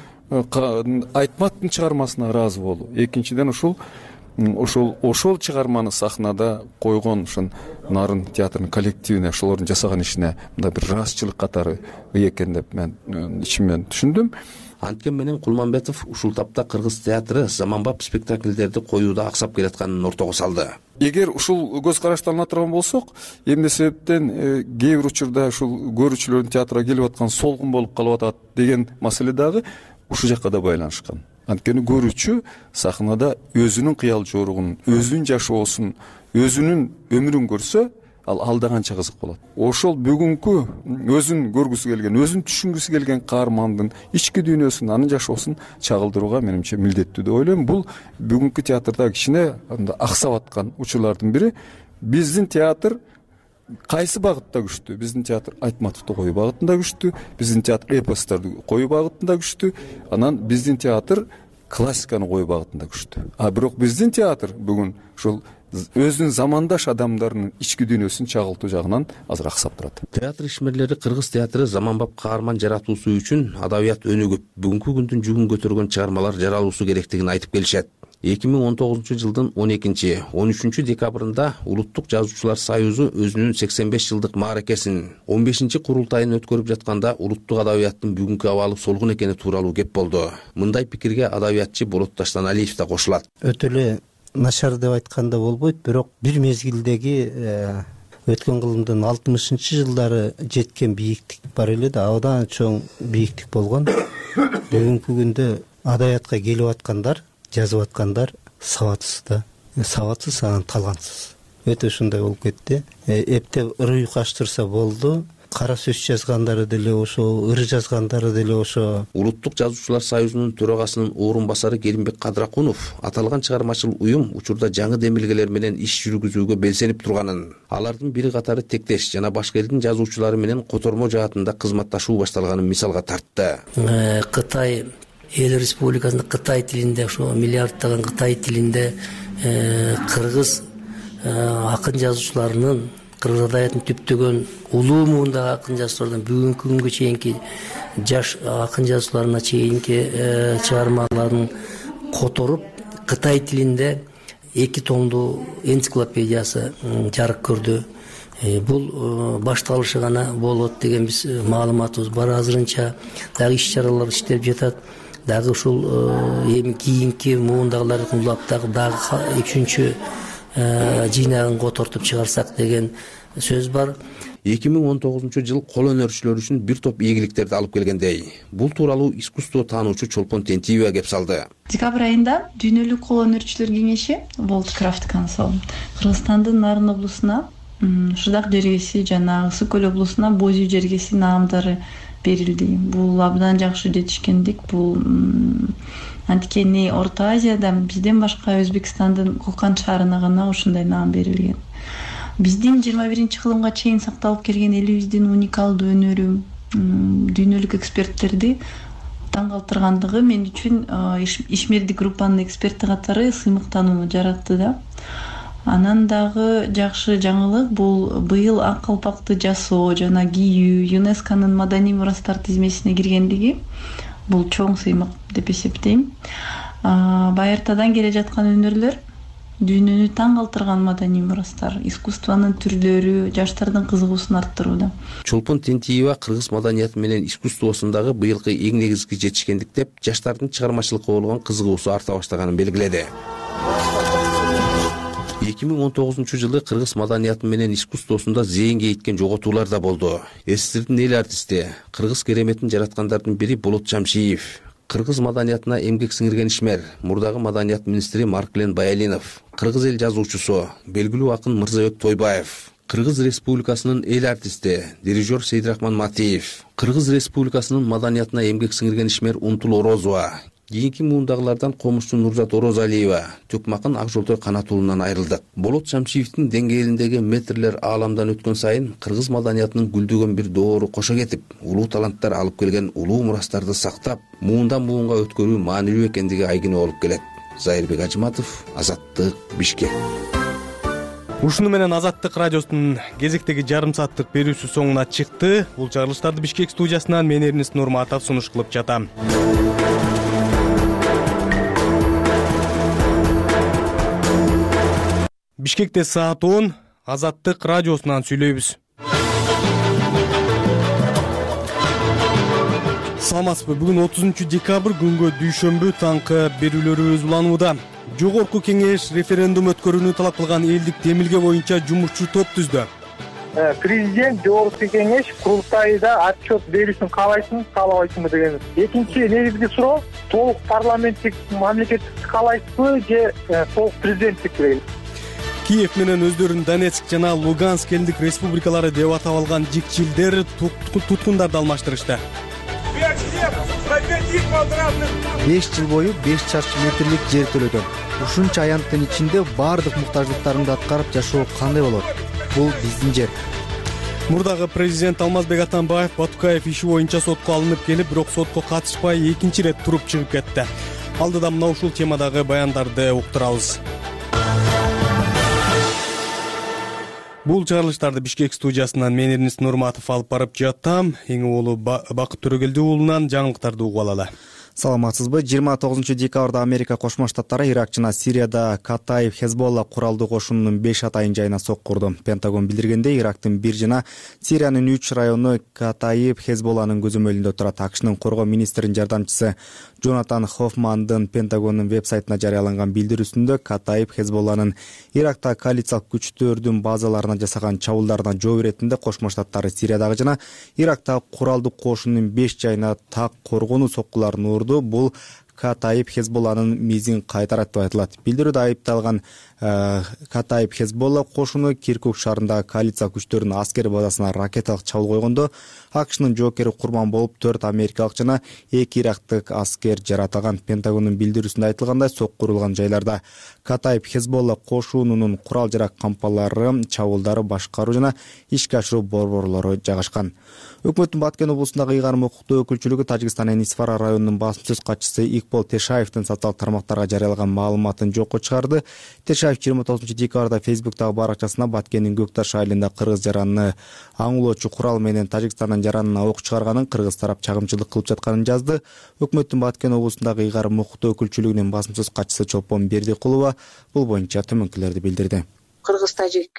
Speaker 18: чыгармасына ыраазы болуу. Экинчиден ошол чыгарманы сахнада койгон ушун Нарын театрынын коллективине, ошолордун жасаган ишине мындай бир ыраазычылык катары экен деп мен ичимден түшүндүм.
Speaker 14: Анткен менен Кулманбетов ушул тапта кыргыз театры заманбап спектакльдерди коюуда аксап келатканын ортого салды.
Speaker 18: Эгер ушул көз караштан ала турган болсок, эмне себептен кээ бир учурда ушул көрүүчүлөрдүн театрга келип аткан солгун болуп калып атат деген маселе дагы ушул жакка да байланышкан. Анткени көрүүчү сахнада өзүнүн кыял жоругун, өзүнүн жашоосун, өзүнүн өмүрүн көрсө, ал да канча кызык болот. Ошол бүгүнкү өзүн көргүсү келген, өзүн түшүнгүсү келген каармандын ички дүйнөсүн, анын жашоосун чагылдырууга менимче милдеттүү деп ойлойм. Бул бүгүнкү театрда кичине аксап аткан учурлардын бири. Биздин театр кайсы багытта күчтүү? Биздин театр Айтматовду коюу багытында күчтүү, биздин театр эпосторду коюу багытында күчтүү, анан биздин театр классиканы коюу багытында күчтүү. Бирок биздин театр бүгүн ушул өзүнүн замандаш адамдарынын ички дүйнөсүн чагылтуу жагынан азыр аксап турат.
Speaker 14: Театр ишмерлери кыргыз театры заманбап каарман жаратуусу үчүн адабият өнүгүп, бүгүнкү күндүн жүгүн көтөргөн чыгармалар жаралуусу керектигин айтып келишет. 2019-жылдын 12-13 декабрында Улуттук жазуучулар союзу өзүнүн 85 жылдык мааракесин 15-курултайын өткөрүп жатканда улуттук адабияттын бүгүнкү абалы солгун экени тууралуу кеп болду. Мындай пикирге адабиятчы Болот Таштаналиев да кошулат.
Speaker 19: Өтө эле начар деп айтканда болбойт, бирок бир мезгилдеги өткөн кылымдын 60-жылдары жеткен бийиктик бар эле да, абдан чоң бийиктик болгон. Бүгүнкү күндө адабиятка келип аткандар, жазып аткандар сабатсыз да, сабатсыз, анан талантсыз. Өтө ушундай болуп кетти. Эптеп ырый каштырса болду. Кара сөз жазгандары деле ошо, ыр жазгандары деле ошо.
Speaker 14: Улуттук жазуучулар союзунун төрагасынын орун басары Керимбек Кадракунов аталган чыгармачыл уюм учурда жаңы демилгелер менен иш жүргүзүүгө белсенип турганын, алардын бири катары тектеш жана башка элдин жазуучулары менен котормо жаатында кызматташуу башталганын мисалга тартты.
Speaker 20: Кытай эл республикасында Кытай тилинде, ошо миллиарддаган Кытай тилинде кыргыз акын жазуучуларынын, кыргыз адабиятын түптөгөн улуу муундагы акын жазуучулардан бүгүнкү күнгө чейинки жаш акын жазуучуларына чейинки чыгармаларын которуп Кытай тилинде 2 томдуу энциклопедиясы жарык көрдү. Бул башталышы гана болот деген биз маалыматыбыз бар. Азырынча дагы иш-чаралар иштелип жатат. Дагы ушул эми кийинки муундагыларды улап дагы 3-чү жыйнагын котортуп чыгарсак деген сөз бар.
Speaker 14: 2019-жыл кол өнөрчүлөр үчүн бир топ ийгиликтерди алып келгендей. Бул тууралуу искусство таануучу Чолпон Тентиева кеп салды.
Speaker 15: Декабрь айында дүйнөлүк кол өнөрчүлөр кеңеши World Craft Council Кыргызстандын Нарын облусуна, Шырдак жергеси жана Ысык көл облусуна Бозүй жергеси наамдары берилди. Бул абдан жакшы жетишкендик. Бул анткени Орто Азияда бизден башка Өзбекстандын Кокан шаарына гана ушундай наам берилген. Биздин 21-кылымга чейин сакталып келген элибиздин уникалдуу өнөрү дүйнөлүк эксперттерди таң калтыргандыгы мен үчүн ишмердик группанын эксперти катары сыймыктанууну жаратты да. Анан дагы жакшы жаңылык бул быйыл ак калпакты жасоо жана кийүү ЮНЕСКОнун маданий мурастар тизмесине киргендиги бул чоң сыймык деп эсептейм. Байыртадан келе жаткан өнөрлөр дүйнөнү таң калтырган маданий мурастар, искусствонун түрлөрү жаштардын кызыгуусун арттырууда.
Speaker 14: Чолпон Тентиева кыргыз маданияты менен искусствосундагы быйылкы эң негизги жетишкендик деп жаштардын чыгармачылыкка болгон кызыгуусу арта баштаганын белгиледи. 2019-жылы кыргыз маданияты менен искусствосунда зээнге иткен жоготуулар да болду. СССРдин эл артисти, кыргыз кереметин жараткандардын бири Болот Жамшиев, кыргыз маданиятына эмгек сиңирген ишмер, мурдагы маданият министри Марклен Баялинов, кыргыз эл жазуучусу, белгилүү акын Мырзабек Тойбаев, Кыргыз Республикасынын эл артисти, дирижер Сейдрахман Матиев, Кыргыз Республикасынын маданиятына эмгек сиңирген ишмер Умтул Орозова, Кийинки муундагылардан комузчу Нурзат Орозалиева Төкмакын Ак Жолтой канат уулунан айрылды. Болот Шамшиевдин деңгээлиндеги метрлер ааламдан өткөн сайын кыргыз маданиятынын гүлдөгөн бир доору кошо кетип, улуу таланттар алып келген улуу мурастарды сактап, муундан муунга өткөрүү маанилүү экендиги айгине болуп келет. Зайырбек Ажыматов, Азаттык, Бишкек.
Speaker 1: Ушуну менен Азаттык радиосунун кезектеги жарым сааттык берүүсү соңуна чыкты. Бул чыгарылыштарды Бишкек студиясынан мен Эрнест Нурматов сунуш кылып жатам. Бишкекте саат 10, Азаттык радиосунан сүйлөйбүз. Саламатсызбы? Бүгүн 30 декабрь күнгө дүйшөмбү таңкы берүүлөрүбүз уланууда. Жогорку кеңеш референдум өткөрүүнү талап кылган элдик демилге боюнча жумушчу топ түздү.
Speaker 21: Президент жогорку кеңеш курултайда отчет берүүсүн каалайсыңбы, каалабайсыңбы деген. Экинчи негизги суроо толук парламенттик мамлекеттик каалайсызбы же толук президенттик деген.
Speaker 1: Киев менен өздөрүн Донецк жана Луганск элдик республикалары деп атап алган жикчилдер туткундарды алмаштырышты.
Speaker 6: 5 жыл бою 5 чарчы метрлик жер төлөгөн. Ушунча аянттын ичинде баардык муктаждыктарымды аткарып жашоо кандай болот? Бул биздин жер.
Speaker 1: Мурдагы президент Алмазбек Атамбаев Батукаев иши боюнча сотко алынып келип, бирок сотко катышпай экинчи ирет туруп чыгып кетти. Алдыда мына ушул темадагы баяндарды уктурабыз. Бул чыгарылыштарды Бишкек студиясынан мен Эрнест Нурматов алып барып жатам. Эң улуу Бакыт Төрөгелди уулунан жаңылыктарды угуп алалы.
Speaker 6: Саламатсызбы? 29 декабрда Америка Кошмо Штаттары Ирак жана Сирияда Катаиб Хезболла куралдуу кошунунун 5 атайын жайына сок курду. Пентагон билдиргендей, Ирактын 1 жана Сириянын 3 району Катаиб Хезболланын көзөмөлүндө турат. АКШнын коргоо министринин жардамчысы Джонатан Хоффмандын Пентагондун вебсайтына жарыяланган билдирүүсүндө Катаиб Хезболланын Иракта коалициялык күчтөрдүн базаларына жасаган чабуулдарына жооп иретинде Кошмо Штаттары Сириядагы жана Ирактагы куралдуу кошунунун 5 жайына так коргонуу соккуларын урду. Бул Катаиб Хезболланын мизин кайтарат деп айтылат. Билдирүүдө айыпталган Катаиб Хезболла кошуну Киркук шаарындагы коалиция күчтөрүнүн аскер базасына ракеталык чабуул койгондо АКШнын жоокери курман болуп 4 америкалык жана 2 ирактык аскер жаратылган. Пентагондун билдирүүсүндө айтылгандай, сок курулган жайларда Катаиб Хезболла кошунунун курал жарак кампалары, чабуулдары башкаруу жана ишке ашыруу борборлору жайгашкан. Өкмөттүн Баткен облусундагы ыйгарым укуктуу өкүлчүлүгү Тажикстандын Исфара районунун басым сөз катчысы Икбол Тешаевдин социалдык тармактарга жарыялаган маалыматын жокко чыгарды. Тешаев 29 декабрда Фейсбуктагы баракчасына Баткендин Көкташ айылында кыргыз жаранны аңлоочу курал менен Тажикстандын жаранына ок чыгарганын, кыргыз тарап чагымчылык кылып жатканын жазды. Өкмөттүн Баткен облусундагы ыйгарым укуктуу өкүлчүлүгүнүн басым сөз катчысы Чолпон Бердикулова бул боюнча төмөнкүлөрдү билдирди.
Speaker 7: Кыргыз-Тажик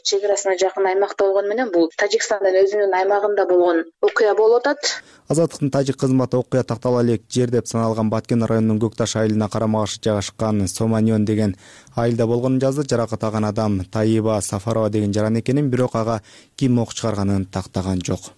Speaker 7: чек арасына жакын аймакта болгону менен бул Тажикстандын өзүнүн аймагында болгон окуя болуп атат.
Speaker 6: Азаттыктын тажик кызматы окуя тактала элек жер деп саналган Баткен районунун Көкташ айылына карама-каршы жайгашкан Соманьон деген айылда болгонун жазды. Жаракат алган адам Таиба Сафарова деген жаран экенин, бирок ага ким ок чыгарганын тактаган жок.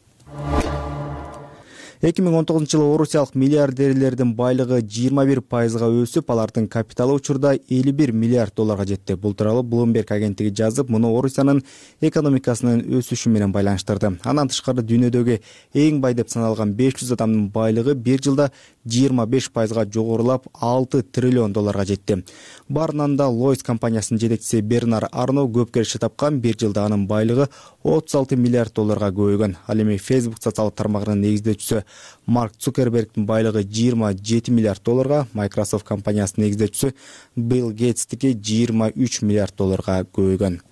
Speaker 6: 2019-жылы орусиялык миллиардерлердин байлыгы 21%га өсүп, алардын капиталы учурда 51 миллиард долларга жетти. Бул тууралуу Bloomberg агенттиги жазып, муну Орусиянын экономикасынын өсүшү менен байланыштырды. Андан тышкары дүйнөдөгү эң бай деп саналган 500 адамдын байлыгы бир жылда 25%га жогорулап 6 триллион долларга жетти. Барынан да Лойс компаниясынын жетекчиси Бернар Арно көп келиши тапкан, бир жылда анын байлыгы 36 миллиард долларга көбөйгөн. Ал эми Facebook социалдык тармагынын негиздөөчүсү Марк Цукербергдин байлыгы 27 миллиард долларга, Microsoft компаниясынын негиздөөчүсү Билл Гейтстики 23 миллиард долларга көбөйгөн.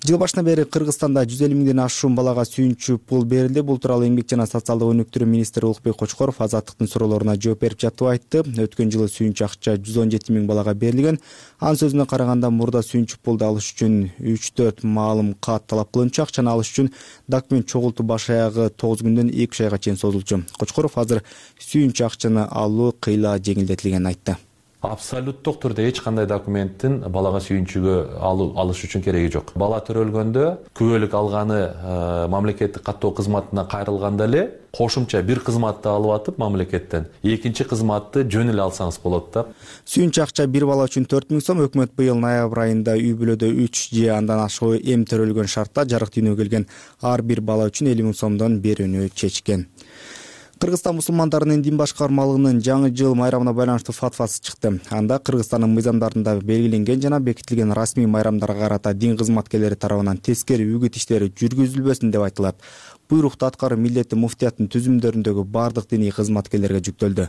Speaker 6: Жыл башынан бери Кыргызстанда 150 миңден ашуун балага сүйүнчү пул берилди. Бул тууралуу Эмгек жана социалдык өнүктүрүү министри Улукбек Кочкоров Азаттыктын суроолоруна жооп берип жатып айтты. Өткөн жылы сүйүнчү акча 117 миң балага берилген. Анын сөзүнө караганда, мурда сүйүнчү пулду алыш үчүн 3-4 маалым кат талап кылынчу. Акчаны алыш үчүн документ чогултуу баш аягы 9 күндөн 2 айга чейин созулчу. Кочкоров азыр сүйүнчү акчаны алуу кыйла жеңилдетилгенин айтты.
Speaker 8: Абсолюттук түрдө эч кандай документтин балага сүйүнчүгө алыш үчүн кереги жок. Бала төрөлгөндө күбөлүк алганы мамлекеттик каттоо кызматына кайрылганда эле кошумча бир кызматты алып атып мамлекеттен экинчи кызматты жөн эле алсаңыз болот да.
Speaker 6: Сүйүнчү акча бир бала үчүн 4 миң сом. Өкмөт быйыл ноябрь айында үй бүлөдө 3 же андан ашыгуу эм төрөлгөн шартта жарык дүйнөгө келген ар бир бала үчүн 50 миң сомдон берүүнү чечкен. Кыргызстан мусулмандарынын дин башкармалыгынын жаңы жыл майрамына байланыштуу фатвасы чыкты. Анда Кыргызстандын мыйзамдарында белгиленген жана бекитилген расмий майрамдарга карата дин кызматкерлери тарабынан тескери үгүт иштери жүргүзүлбөсүн деп айтылат. Буйрукту аткаруу милдети муфтияттын түзүмдөрүндөгү бардык диний кызматкерлерге жүктөлдү.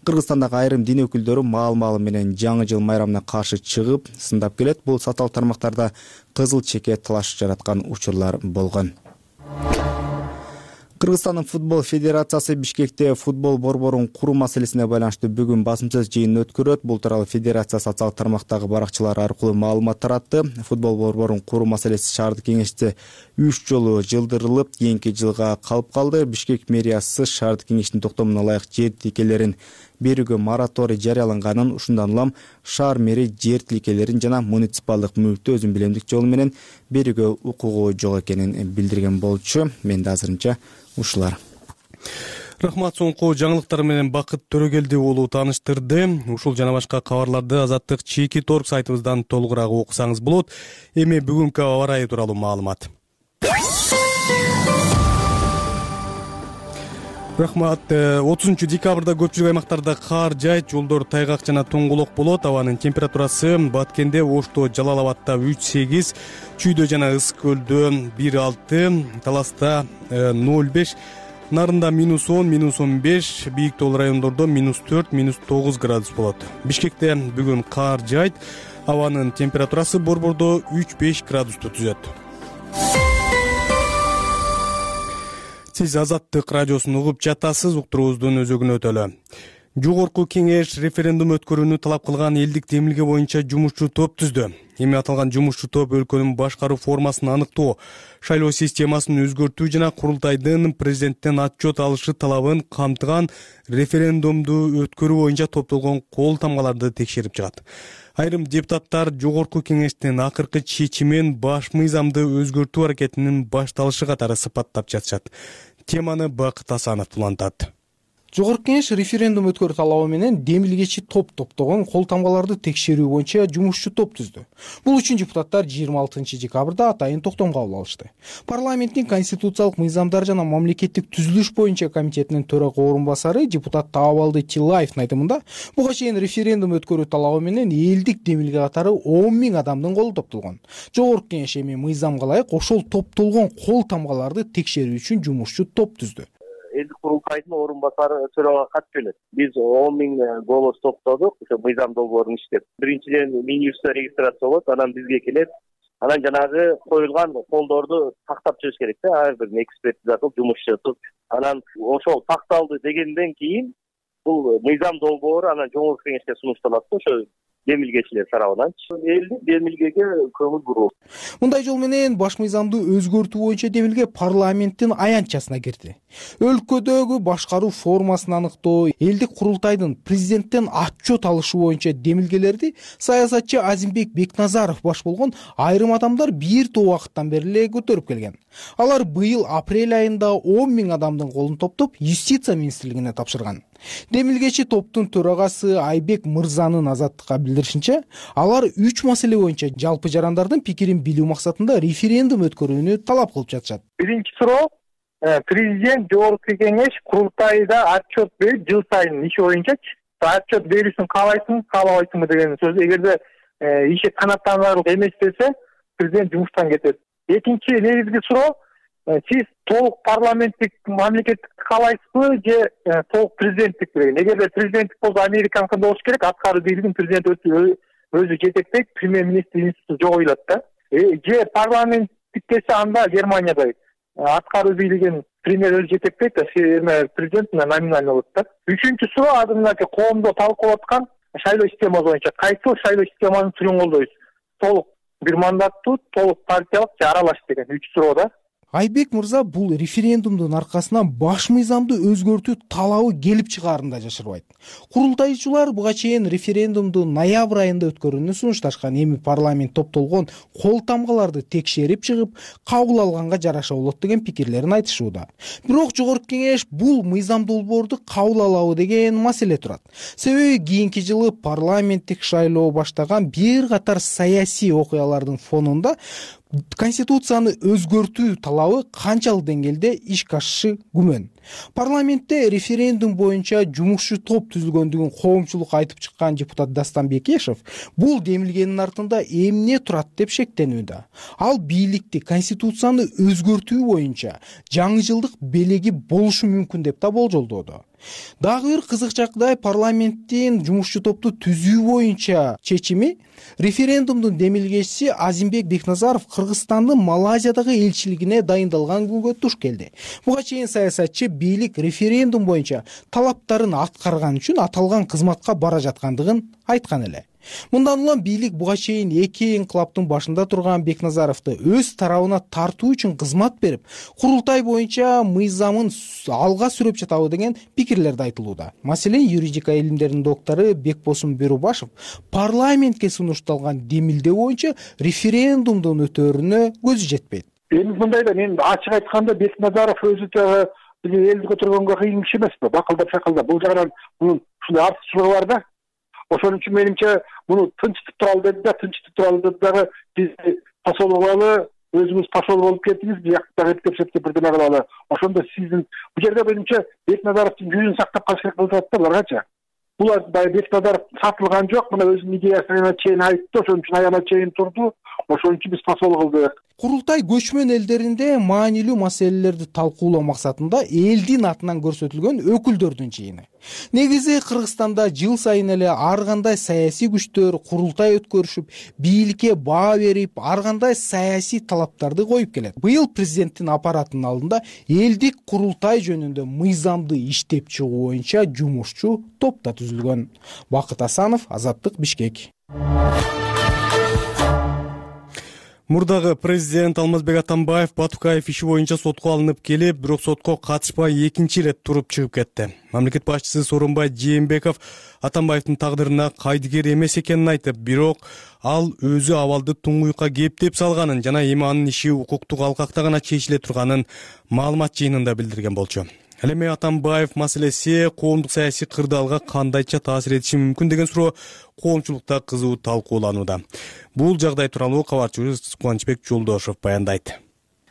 Speaker 6: Кыргызстандагы айрым дин өкүлдөрү маал-маалы менен жаңы жыл майрамына каршы чыгып, сындап келет. Бул саталык тармактарда кызыл чеке талаш жараткан учурлар болгон. Кыргызстандын футбол федерациясы Бишкекте футбол борборун куруу маселесине байланыштуу бүгүн басым сөз жыйынын өткөрөт. Бул тууралуу федерация социалдык тармактагы баракчалары аркылуу маалымат таратты. Футбол борборун куруу маселеси шаардык кеңеште 3 жолу жылдырылып, кийинки жылга калып калды. Бишкек мэриясы шаардык кеңештин токтомуна ылайык жер тилкелерин берүүгө мораторий жарыялаганын, ушундан улам шаар мэри жер тилкелерин жана муниципалдык мүлктү өзүн билемдик жол менен берүүгө укугу жок экенин билдирген болчу. Менде азырынча ушулар.
Speaker 1: Рахмат, соңку жаңылыктар менен Бакыт Төрөгелди уулу тааныштырды. Ушул жана башка кабарларды Азаттык Чеки Торг сайтыбыздан толугураак окусаңыз болот. Эми бүгүнкү аба ырайы тууралуу маалымат. Рахмат. 30 декабрда көпчүлүк аймактарда кар жайт, жолдор тайгак жана тоңголок болот. Абанын температурасы Баткенде, Ошто, Жалал Абадта 3-8, Чүйдө жана Ысык көлдө 1-6, Таласта 0-5, Нарында -10, -15, бийик тоол райондордо -4, -9 градус болот. Бишкекте бүгүн кар жайт, абанын температурасы борбордо 3-5 градусту түзөт. Сиз Азаттык радиосун угуп жатасыз, уктуруубуздун өзөгүнө өтөлү. Жогорку кеңеш референдум өткөрүүнү талап кылган элдик демилге боюнча жумушчу топ түздү. Эми аталган жумушчу топ өлкөнүн башкаруу формасын аныктоо, шайлоо системасын өзгөртүү жана курултайдын президенттен отчет алышы талабын камтыган референдумду өткөрүү боюнча топтолгон кол тамгаларды текшерип чыгат. Айрым депутаттар жогорку кеңештин акыркы чечимин баш мыйзамды өзгөртүү аракетинин башталышы катары сыпаттап жатышат. Теманы Бакыт Асанов улантат.
Speaker 3: Жогорку кеңеш референдум өткөрүү талабы менен демилгечи топ топтогон кол тамгаларды текшерүү боюнча жумушчу топ түздү. Бул үчүн депутаттар 26 декабрда атайын токтом кабыл алышты. Парламенттин конституциялык мыйзамдар жана мамлекеттик түзүлүш боюнча комитетинин төрага орун басары депутат Таабалды Тилаевдин айтымында, буга чейин референдум өткөрүү талабы менен элдик демилге катары 10 000 адамдын колу топтолгон. Жогорку кеңеш эми мыйзамга ылайык ошол топтолгон кол тамгаларды текшерүү үчүн жумушчу топ түздү.
Speaker 22: Элдик курултайдын орун басары төрага кат жөнөттү. Биз 10 000 голос топтодук, ошо мыйзам долбоорун иштеп. Биринчиден Минюстта регистрация болот, анан бизге келет. Анан жанагы коюлган колдорду тактап чыгыш керек да, ар бир экспертиза кылып, жумушчу кылып. Анан ошол такталды дегенден кийин бул мыйзам долбоору анан жогорку кеңешке сунушталат да, ошо демилгечилер тарабынан. Элдик демилгеге көңүл буруу.
Speaker 3: Мындай жол менен баш мыйзамды өзгөртүү боюнча демилге парламенттин аянтчасына кирди. Өлкөдөгү башкаруу формасын аныктоо, элдик курултайдын президенттен отчет алышы боюнча демилгелерди саясатчы Азимбек Бекназаров баш болгон айрым адамдар бир топ убакыттан бери эле көтөрүп келген. Алар быйыл апрель айында 10 000 адамдын колун топтоп, юстиция министрлигине тапшырган. Демилгечи топтун төрагасы Айбек Мырзанын Азаттыкка билдиришинче, алар 3 маселе боюнча жалпы жарандардын пикирин билүү максатында референдум өткөрүүнү талап кылып жатышат.
Speaker 21: Биринчи суроо, президент жогорку кеңеш курултайда отчет берип, жыл сайын иши боюнчачы отчет берүүсүн каалайсыңбы, каалабайсыңбы деген сөз. Эгерде иши канааттанарлык эмес десе, президент жумуштан кетет. Экинчи негизги суроо, сиз толук парламенттик мамлекеттик каалайсызбы же толук президенттик деген. Эгерде президенттик болсо Американыкындай болуш керек, аткаруу бийлигин президент өзү жетектейт, премьер-министр институту жок ыйлат да. Же парламенттик десе анда Германиядай аткаруу бийлигин премьер өзү жетектейт да, президент номинальный болот да. Үчүнчү суроо, азырынча коомдо талкуулап аткан шайлоо системасы боюнча кайсыл шайлоо системанын түрүн колдойбуз? Толук бир мандаттуу, толук партиялык же аралаш деген 3 суроо да.
Speaker 3: Айбек Мырза бул референдумдун аркасынан баш мыйзамды өзгөртүү талабы келип чыгаарын да жашырбайт. Курултайчылар буга чейин референдумду ноябрь айында өткөрүүнү сунушташкан. Эми парламент топтолгон кол тамгаларды текшерип чыгып, кабыл алганга жараша болот деген пикирлерин айтышууда. Бирок жогорку кеңеш бул мыйзам долбоорду кабыл алабы деген маселе турат. Себеби кийинки жылы парламенттик шайлоо баштаган бир катар саясий окуялардын фонунда конституцияны өзгөртүү талабы канчалык деңгээлде ишке ашышы күмөн. Парламентте референдум боюнча жумушчу топ түзүлгөндүгүн коомчулукка айтып чыккан депутат Дастан Бекешев бул демилгенин артында эмне турат деп шектенүүдө. Ал бийликти конституцияны өзгөртүү боюнча жаңы жылдык белеги болушу мүмкүн деп да болжолдоодо. Дагы бир кызык жагдай парламенттин жумушчу топту түзүү боюнча чечими референдумдун демилгечиси Азимбек Бекназаров Кыргызстандын Малайзиядагы элчилигине дайындалган күнгө туш келди. Буга чейин саясатчы бийлик референдум боюнча талаптарын аткарган үчүн аталган кызматка бара жаткандыгын айткан эле. Мындан улам бийлик буга чейин эки инкылаптын башында турган Бекназаровду өз тарабына тартуу үчүн кызмат берип, курултай боюнча мыйзамын алга сүрөп жатабы деген пикирлерди айтылууда. Маселен, юридика илимдеринин доктору Бекбосун Бөрүбашев парламентке сунушталган демилдөө боюнча референдумдун өтөөрүнө көзү жетпейт.
Speaker 21: Эми мындайда мен ачык айтканда Бекназаров өзү элди көтөргөнгө кыйын киши эмеспи? Бакылдап шакылдап бул жагынан мунун ушундай артыкчылыгы бар да. Ошон үчүн менимче муну тынчтып туралы деди да, тынчтып туралы деди дагы биз посол болалы, өзүбүз посол болуп кеттиңиз, бияктагы эптеп бирдеме кылалы. Ошондо сиздин бул жерде менимче Бекназаровдун жүзүн сактап калыш керек болуп атат да буларгачы. Булар баягы Бекназаров сатылган жок, мына өзүнүн идеясына чейин айтты, ошон үчүн аябай чейин турду. Ошон үчүн биз посол кылдык.
Speaker 3: Курултай көчмөн элдеринде маанилүү маселелерди талкуулоо максатында элдин атынан көрсөтүлгөн өкүлдөрдүн жыйыны. Негизи Кыргызстанда жыл сайын эле ар кандай саясий күчтөр курултай өткөрүшүп, бийликке баа берип, ар кандай саясий талаптарды коюп келет. Быйыл президенттин аппаратынын алдында элдик курултай жөнүндө мыйзамды иштеп чыгуу боюнча жумушчу топ да түзүлгөн. Бакыт Асанов, Азаттык, Бишкек.
Speaker 1: Мурдагы президент Алмазбек Атамбаев Батукаев иши боюнча сотко алынып келип, бирок сотко катышпай экинчи ирет туруп чыгып кетти. Мамлекет башчысы Сооронбай Жээнбеков Атамбаевдин тагдырына кайдыгер эмес экенин айтып, бирок ал өзү абалды туңгуюкка кептеп салганын жана эми анын иши укуктук алкакта гана чечиле турганын маалымат жыйынында билдирген болчу. Ал эми Атамбаев маселеси коомдук саясий кырдаалга кандайча таасир этиши мүмкүн деген суроо коомчулукта кызуу талкууланууда. Бул жагдай тууралуу кабарчыбыз Кубанычбек Жолдошев баяндайт.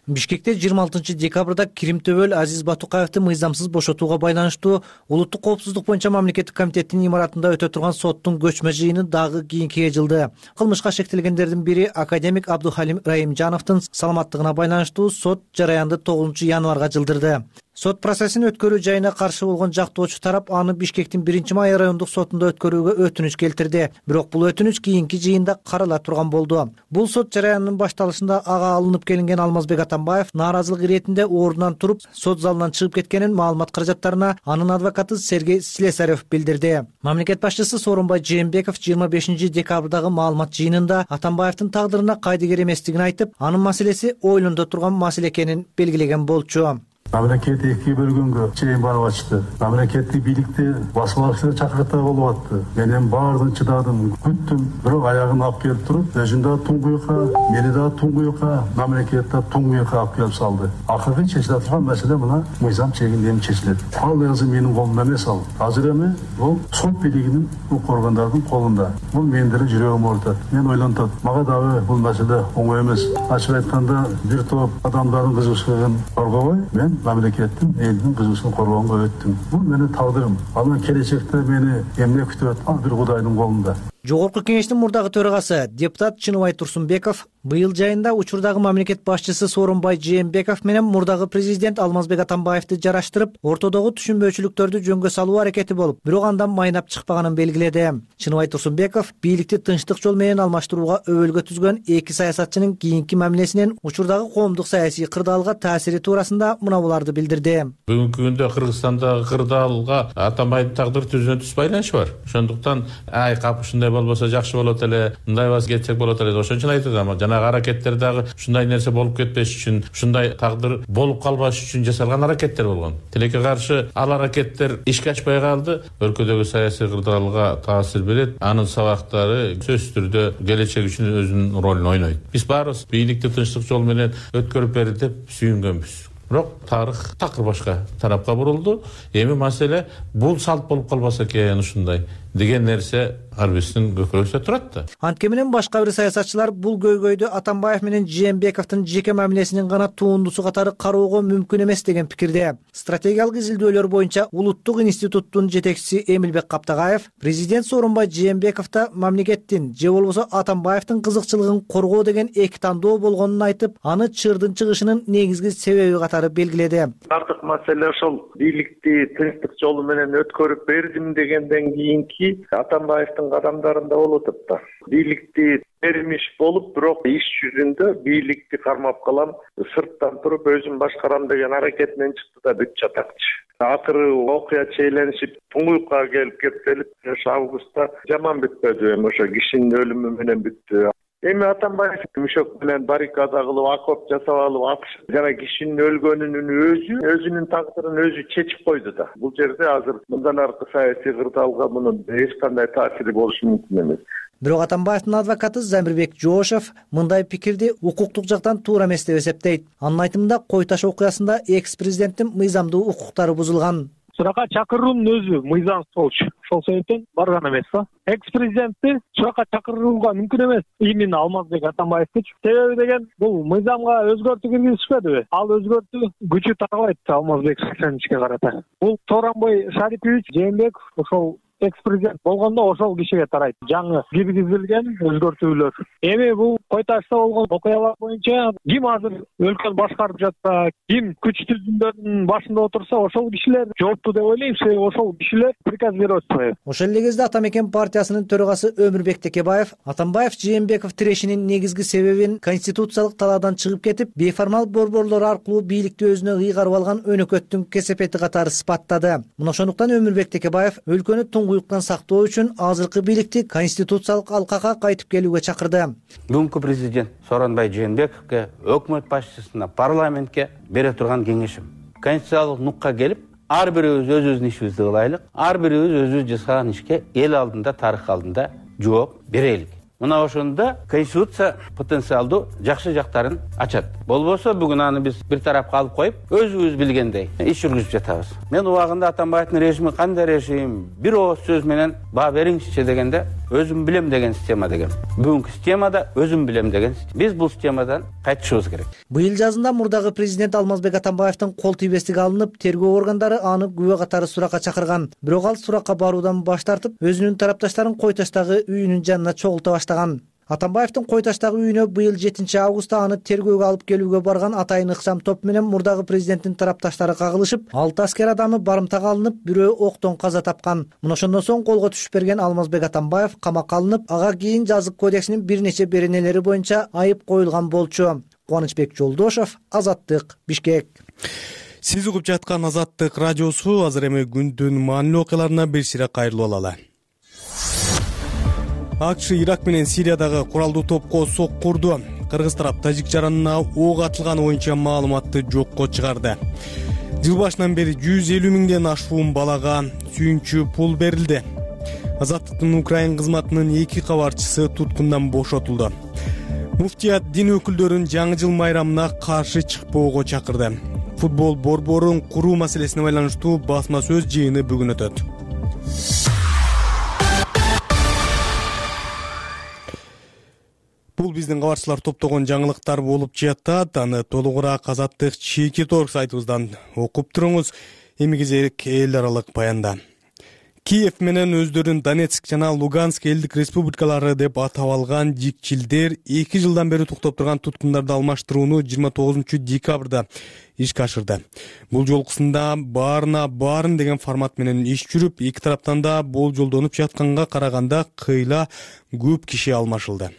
Speaker 9: Бишкекте 26 декабрда Кирим Төбөл Азиз Батукаевди мыйзамсыз бошотууга байланыштуу улуттук коопсуздук боюнча мамлекеттик комитеттин имаратында өтө турган соттун көчмө жыйыны дагы кийинкиге жылды. Кылмышка шектелгендердин бири академик Абдухалим Раимжановдун саламаттыгына байланыштуу сот жараянды 9 январга жылдырды. Сот процессин өткөрүү жайына каршы болгон жактоочу тарап аны Бишкектин 1-Май райондук сотунда өткөрүүгө өтүнүч келтирди. Бирок бул өтүнүч кийинки жыйында карала турган болду. Бул сот жараянынын башталышында ага алынып келинген Алмазбек Атамбаев нааразылык иретинде ордунан туруп сот залынан чыгып кеткенин маалымат каражаттарына анын адвокаты Сергей Слесарев билдирди. Мамлекет башчысы Сооронбай Жээнбеков 25 декабрдагы маалымат жыйынында Атамбаевдин тагдырына кайдыгер эместигин айтып, анын маселеси ойлондо турган маселе экенин белгилеген болчу.
Speaker 2: Мамлекет эки бөлгөнгө чейин барып атышты. Мамлекеттик бийликти басып алышына чакыртаа болуп атты. Мен эми баардыгын чыдадым, күттүм, бирок аягын алып келип туруп, өзүн да туңгуюкка, мени да туңгуюкка, мамлекет да туңгуюкка алып келип салды. Акыркы чечиле турган маселе мына мыйзам чегинде эми чечилет. Ал өзү менин колумда эмес ал. Азыр эми бул сот бийлигинин укук органдардын колунда. Бул менин деле жүрөгүм оорутат. Мен ойлонтот, мага дагы бул маселе оңой эмес. Ачык айтканда, бир топ адамдардын кызыгычтыгын коргобой, мен мамлекеттин элдин кызыгычтыгын коргоонго өттүм. Бул менин тагдырым. Анан келечекте мени эмне күтүп атат? Ал бир Кудайдын колунда.
Speaker 9: Жогорку кеңештин мурдагы төрагасы депутат Чыныбай Турсунбеков быйыл жайында учурдагы мамлекет башчысы Сооронбай Жээнбеков менен мурдагы президент Алмазбек Атамбаевди жараштырып, ортодогу түшүнбөөчүлүктөрдү жөнгө салуу аракети болуп, бирок андан майнап чыкпаганын белгиледи. Чыныбай Турсунбеков бийликти тынчтык жол менен алмаштырууга өбөлгө түзгөн эки саясатчынын кийинки мамилесинен учурдагы коомдук саясий кырдаалга таасири туурасында мына буларды билдирди.
Speaker 10: Бүгүнкү күндө Кыргызстандагы кырдаалга Атамбайдын тагдыры түзүнүнсүз байланышы бар. Ошондуктан кап ушундай болбосо жакшы болот эле, мындай бас кетсек болот эле. Ошон үчүн айтат, ама жанагы аракеттер дагы ушундай нерсе болуп кетпеш үчүн, ушундай тагдыр болуп калбаш үчүн жасалган аракеттер болгон. Тилекке каршы ал аракеттер ишке ашпай калды. Өлкөдөгү саясий кырдаалга таасир берет. Анын сабактары сөзсүз түрдө келечек үчүн өзүнүн ролун ойнойт. Биз баарыбыз бийликти тынчтык жол менен өткөрүп берди деп сүйүнгөнбүз. бирок тарых такыр башка тарапка бурулду. Эми маселе бул салт болуп калбаса экен ушундай деген нерсе ар бирибиздин көкүрөгүбүздө турат да.
Speaker 9: Антке менен башка бир саясатчылар бул көйгөйдү Атамбаев менен Жээнбековдун жеке мамилесинин гана турундусу катары кароого мүмкүн эмес деген пикирде. Стратегиялык изилдөөлөр боюнча Улуттук институттун жетекчиси Эмилбек Каптагаев президент сооронбай Жээнбековдо мамлекеттин же болбосо Атамбаевдин кызыкчылыгын коргоо деген эки тандоо болгонун айтып, аны чырдын чыгышынын негизги себеби катары белгиледи.
Speaker 4: Артык маселе ошол бийликти тынчтык жолу менен өткөрүп бердим дегенден кийинки Атамбаевдин кадамдарында болуп атат да. Бийликти бермиш болуп, бирок иш жүзүндө бийликти кармап калам, сырттан туруп өзүм башкарам деген аракетинен чыкты да бүт жатакчы. Акыры окуя чейленишип, туңгуйукка келип кептелип, ошо августта жаман бүтпөдү, эми ошо кишинин өлүмү менен бүттү. Эми Атамбаев мүшөк менен баррикада кылып, окоп жасап алып, атышып, жана кишинин өлгөнүнүн өзүнүн тагдырын өзү чечип койду да. Бул жерде азыр мындан аркы саясий кырдаалга мунун эч кандай таасири болушу мүмкүн эмес.
Speaker 9: Бирок Атамбаевдин адвокаты Замирбек Жоошев мындай пикирди укуктук жактан туура эмес деп эсептейт. Анын айтымында Кой Таш окуясында экс-президенттин мыйзамдуу укуктары бузулган.
Speaker 21: Суракка чакыруунун өзү мыйзамсыз болчу. Ошол себептен барган эмес да. Экс-президентти суракка чакырууга мүмкүн эмес. Именно Алмазбек Атамбаевди. Себеби деген бул мыйзамга өзгөртүү киргизишпедиби? Ал өзгөртүү күчү тарабайт Алмазбек Шыкеновичке карата. Бул Сооронбай Шарипович Жээнбеков ошол экс-президент болгондо ошол кишиге тарайт. Жаңы киргизилген өзгөртүүлөр. Эми бул Кой Ташта болгон окуялар боюнча ким азыр өлкөнү башкарып жатса, ким күч түзүмдөрдүн башында отурса, ошол кишилер жооптуу деп ойлойм. Себеби ошол кишилер приказ берип атпайбы.
Speaker 9: Ошол эле кезде Атамекен партиясынын төрагасы Өмүрбек Текебаев Атамбаев Жээнбеков тирешинин негизги себебин конституциялык талаадан чыгып кетип, бейформал борборлор аркылуу бийликти өзүнө ыйгарып алган өнөкөттүн кесепети катары сыпаттады. Мына ошондуктан Өмүрбек Текебаев өлкөнү туңгуюктан сактоо үчүн азыркы бийликти конституциялык алкага кайтып келүүгө чакырды.
Speaker 5: Бүгүнкү президент Сооронбай Жээнбековго, өкмөт башчысына, парламентке бере турган кеңешим. Конституциялык нукка келип, ар бирибиз өзүбүздүн ишибизди кылайлык, ар бирибиз өзүбүз жасаган ишке эл алдында, тарых алдында жооп берелик. Мына ошондо конституция потенциалдуу жакшы жактарын ачат. Болбосо бүгүн аны биз бир тарапка алып коюп, өзүбүз билгендей иш жүргүзүп жатабыз. Мен убагында Атамбаевдин режими кандай режим, бир ооз сөз менен баа бериңизчи дегенде өзүм билем деген система деген. Бүгүнкү системада өзүм билем деген. Биз бул системадан кайтышыбыз керек.
Speaker 9: Быйыл жазында мурдагы президент Алмазбек Атамбаевдин кол тийбестиги алынып, тергөө органдары аны күбө катары суракка чакырган. Бирок ал суракка баруудан баш тартып, өзүнүн тарапташтарын Кой Таштагы үйүнүн жанына чогулта баштаган. Атамбаевдин Кой Таштагы үйүнө быйыл 7 августта аны тергөөгө алып келүүгө барган атайын ыкчам топ менен мурдагы президенттин тарапташтары кагылышып, 6 аскер адамы барымтага алынып, бирөө октон каза тапкан. Мына ошондон соң колго түшүп берген Алмазбек Атамбаев камакка алынып, ага кийин жазык кодексинин бир нече беренелери боюнча айып коюлган болчу. Кубанычбек Жолдошев, Азаттык, Бишкек.
Speaker 1: Сиз угуп жаткан Азаттык радиосу. Азыр эми күндүн маанилүү окуяларына бир сире кайрылып алалы. АКШ Ирак менен Сириядагы куралдуу топко сок курду. Кыргыз тарап тажик жаранына ок атылганы боюнча маалыматты жокко чыгарды. Жыл башынан бери 150 миңден ашуун балага сүйүнчү пул берилди. Азаттыктын Украин кызматынын 2 кабарчысы туткундан бошотулду. Муфтият дин өкүлдөрүн жаңы жыл майрамына каршы чыкпоого чакырды. Футбол борборун куруу маселесине байланыштуу басма сөз жыйыны бүгүн өтөт. Бул биздин кабарчылар топтогон жаңылыктар болуп жатат. Аны толугураак Азаттык чийки торг сайтыбыздан окуп туруңуз. Эми кезек эл аралык баянда. Киев менен өздөрүн Донецк жана Луганск элдик республикалары деп атап алган дикчилдер 2 жылдан бери токтоп турган туткундарды алмаштырууну 29 декабрда ишке ашырды. Бул жолкусунда баарын деген формат менен иш жүрүп, эки тараптан да болжолдонуп жатканга караганда кыйла көп киши алмашылды.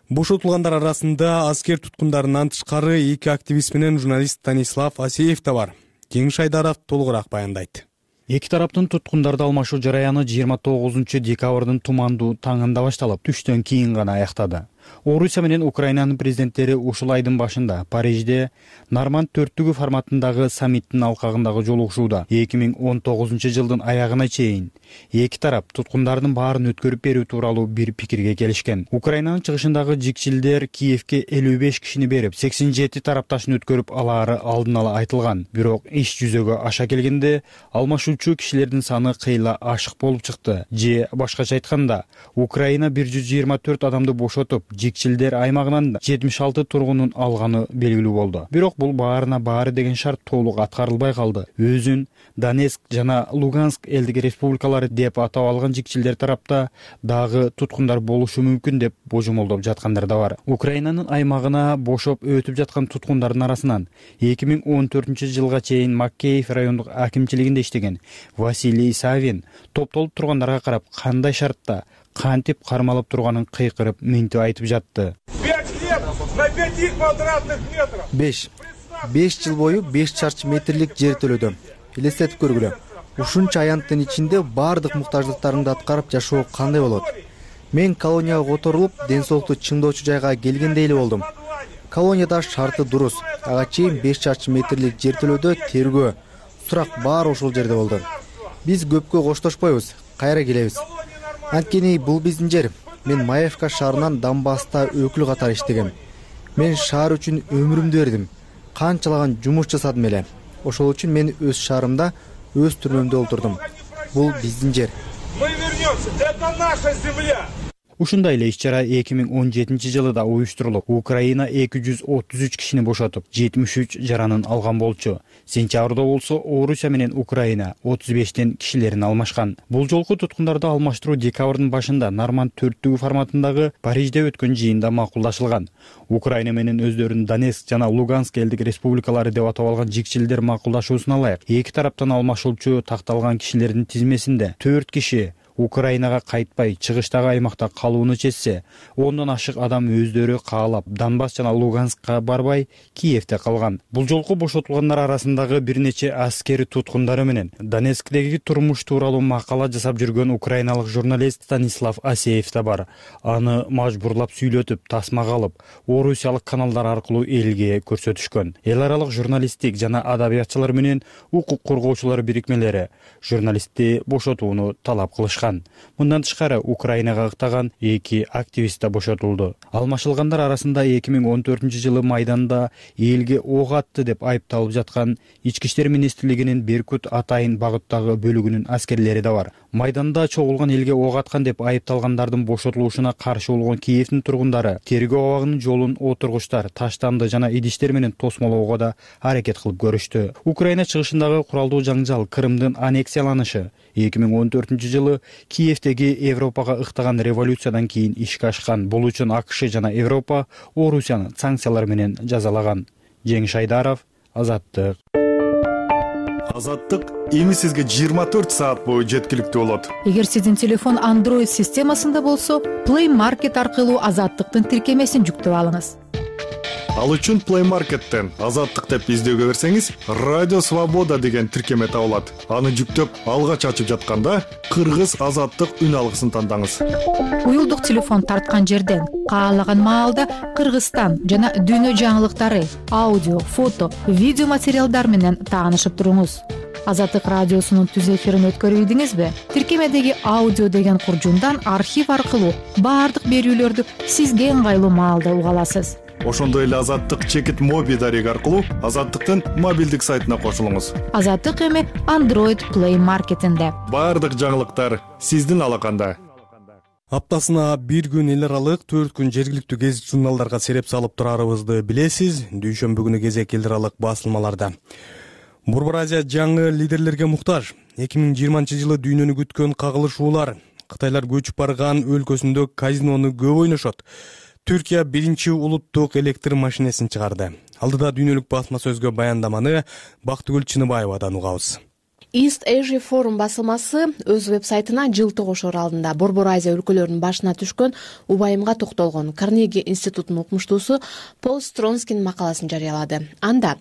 Speaker 1: Бошотулгандар арасында аскер туткундарынан тышкары 2 активист менен журналист Станислав Асеев да бар. Жеңиш Айдаров толугураак баяндайт.
Speaker 23: Эки тараптын туткундарды алмашуу жараяны 29 декабрдын тумандуу таңында башталып, түштөн кийин гана аяктады. Орусия менен Украинанын президенттери ушул айдын башында Парижде Норманд төрттүгү форматындагы саммиттин алкагындагы жолугушууда 2019 жылдын аягына чейин эки тарап туткундардын баарын өткөрүп берүү тууралуу бир пикирге келишкен. Украинанын чыгышындагы жикчилдер Киевке 55 кишини берип, 87 тарапташын өткөрүп алаары алдын ала айтылган. Бирок иш жүзөгө аша келгенде алмашуучу кишилердин саны кыйла ашык болуп чыкты. Же башкача айтканда, Украина 124 адамды бошотуп, жикчилдер аймагынан 76 тургунун алганы белгилүү болду. Бирок бул баарына баары деген шарт толук аткарылбай калды. Өзүн Донецк жана Луганск элдик республикалары деп атап алган жикчилдер тарапта дагы туткундар болушу мүмкүн деп божомолдоп жаткандар да бар. Украинанын аймагына бошоп өтүп жаткан туткундардын арасынан 2014 жылга чейин Макеев райондук акимчилигинде иштеген Василий Савин топтолуп тургандарга карап кандай шартта, кантип кармалып турганын кыйкырып минтип айтып жатты.
Speaker 3: 5 жыл бою 5 чарчы метрлик жер төлөдүм. Элестетип көргүлө. Ушунча аянттын ичинде баардык муктаждыктарымды аткарып жашоо кандай болот? Мен колонияга которулуп, ден соолукту чыңдоочу жайга келгендей эле болдум. Колонияда шарты дурус. Ага чейин 5 чарчы метрлик жер төлөөдө тергөө, сурак баары ошол жерде болду. Биз көпкө коштошпойбуз, кайра келебиз. Анткени бул биздин жер. Мен Маевка шаарынан Донбасста өкүл катары иштегем. Мен шаар үчүн өмүрүмдү бердим. Канчалаган жумуш жасадым эле. Ошол үчүн мен өз шаарымда, өз түрмөмдө олтурдум. Бул биздин жер.
Speaker 11: Мы вернемся, это наша земля.
Speaker 23: Ушундай эле иш-чара 2017 жылы да уюштурулуп, Украина 233 кишини бошотуп, 73 жаранын алган болчу. Сентябрда болсо Орусия менен Украина 35тен кишилерин алмашкан. Бул жолку туткундарды алмаштыруу декабрдын башында Норманд төрттүгү форматындагы Парижде өткөн жыйында макулдашылган. Украина менен өздөрүн Донецк жана Луганск элдик республикалары деп атап алган жикчилдер макулдашуусуна ылайык эки тараптан алмашуучу такталган кишилердин тизмесинде 4 киши Украинага кайтпай чыгыштагы аймакта калууну чечсе, 10дон ашык адам өздөрү каалап Донбасс жана Луганскка барбай Киевде калган. Бул жолку бошотулгандар арасындагы бир нече аскери туткундары менен Донецктеги турмуш тууралуу макала жасап жүргөн украиналык журналист Станислав Асеев да бар. Аны мажбурлап сүйлөтүп, тасмага алып, орусиялык каналдар аркылуу элге көрсөтүшкөн. Эл аралык журналисттик жана адабиятчылар менен укук коргоочулар бирикмелери журналистти бошотууну талап кылышкан. Мындан тышкары Украинага ыктаган эки активист да бошотулду. Алмашылгандар арасында 2014 жылы Майданда элге ок атты деп айыпталып жаткан Ички иштер министрлигинин Беркут Атайын багыттагы бөлүгүнүн аскерлери да бар. Майданда чогулган элге ок аткан деп айыпталгандардын бошотулушуна каршы болгон Киевдин тургундары тергөө абагынын жолун отургучтар, таштанды жана идиштер менен тосмолоого да аракет кылып көрүштү. Украина чыгышындагы куралдуу жаңжал Крымдын аннексияланышы 2014 жылы Киевдеги Европага ыктаган революциядан кийин ишке ашкан. Бул үчүн АКШ жана Европа Орусияны санкциялар менен жазалаган. Жеңиш Айдаров, Азаттык.
Speaker 12: Азаттык эми сизге 24 саат бою жеткиликтүү болот.
Speaker 13: Эгер сиздин телефон Android системасында болсо, Play Market аркылуу Азаттыктын тиркемесин жүктөп алыңыз.
Speaker 12: Ал үчүн Play Market'тен Азаттык деп издөөгө берсеңиз, Радио Свобода деген тиркеме табылат. Аны жүктөп, алгач ачып жатканда Кыргыз Азаттык үн алгысын тандаңыз.
Speaker 13: Уюлдук телефон тарткан жерден каалаган маалда Кыргызстан жана дүйнө жаңылыктары, аудио, фото, видео материалдар менен таанышып туруңуз. Азаттык радиосунун түз эфирин өткөрүбүдүңүзбү? Тиркемедеги аудио деген куржундан архив аркылуу баардык берүүлөрдү сизге ыңгайлуу маалда уга аласыз.
Speaker 12: Ошондой эле Азаттык чекит моби дареги аркылуу Азаттыктын мобилдик сайтына кошулуңуз.
Speaker 13: Азаттык эми Android Play Market'инде.
Speaker 12: Баардык жаңылыктар сиздин алаканда.
Speaker 1: Аптасына бир күн эл аралык, 4 күн жергиликтүү гезит журналдарга сереп салып турарыбызды билесиз. Дүйшөмбү күнү кезек эл аралык басылмаларда. Борбор Азия жаңы лидерлерге муктаж. 2020 жылы дүйнөнү күткөн кагылышуулар. Кытайлар көчүп барган өлкөсүндө казинону көп ойношот. Түркия биринчи улуттук электр машинесин чыгарды. Алдыда дүйнөлүк басма сөзгө баяндаманы Бактыгүл Чыныбаевадан угабыз.
Speaker 24: East Asia Forum басылмасы өз веб-сайтына жылтык ошор алдында Борбор Азия өлкөлөрүнүн башына түшкөн убайымга токтолгон Карнеги институтунун окумуштуусу Пол Стронскин макаласын жарыялады. Анда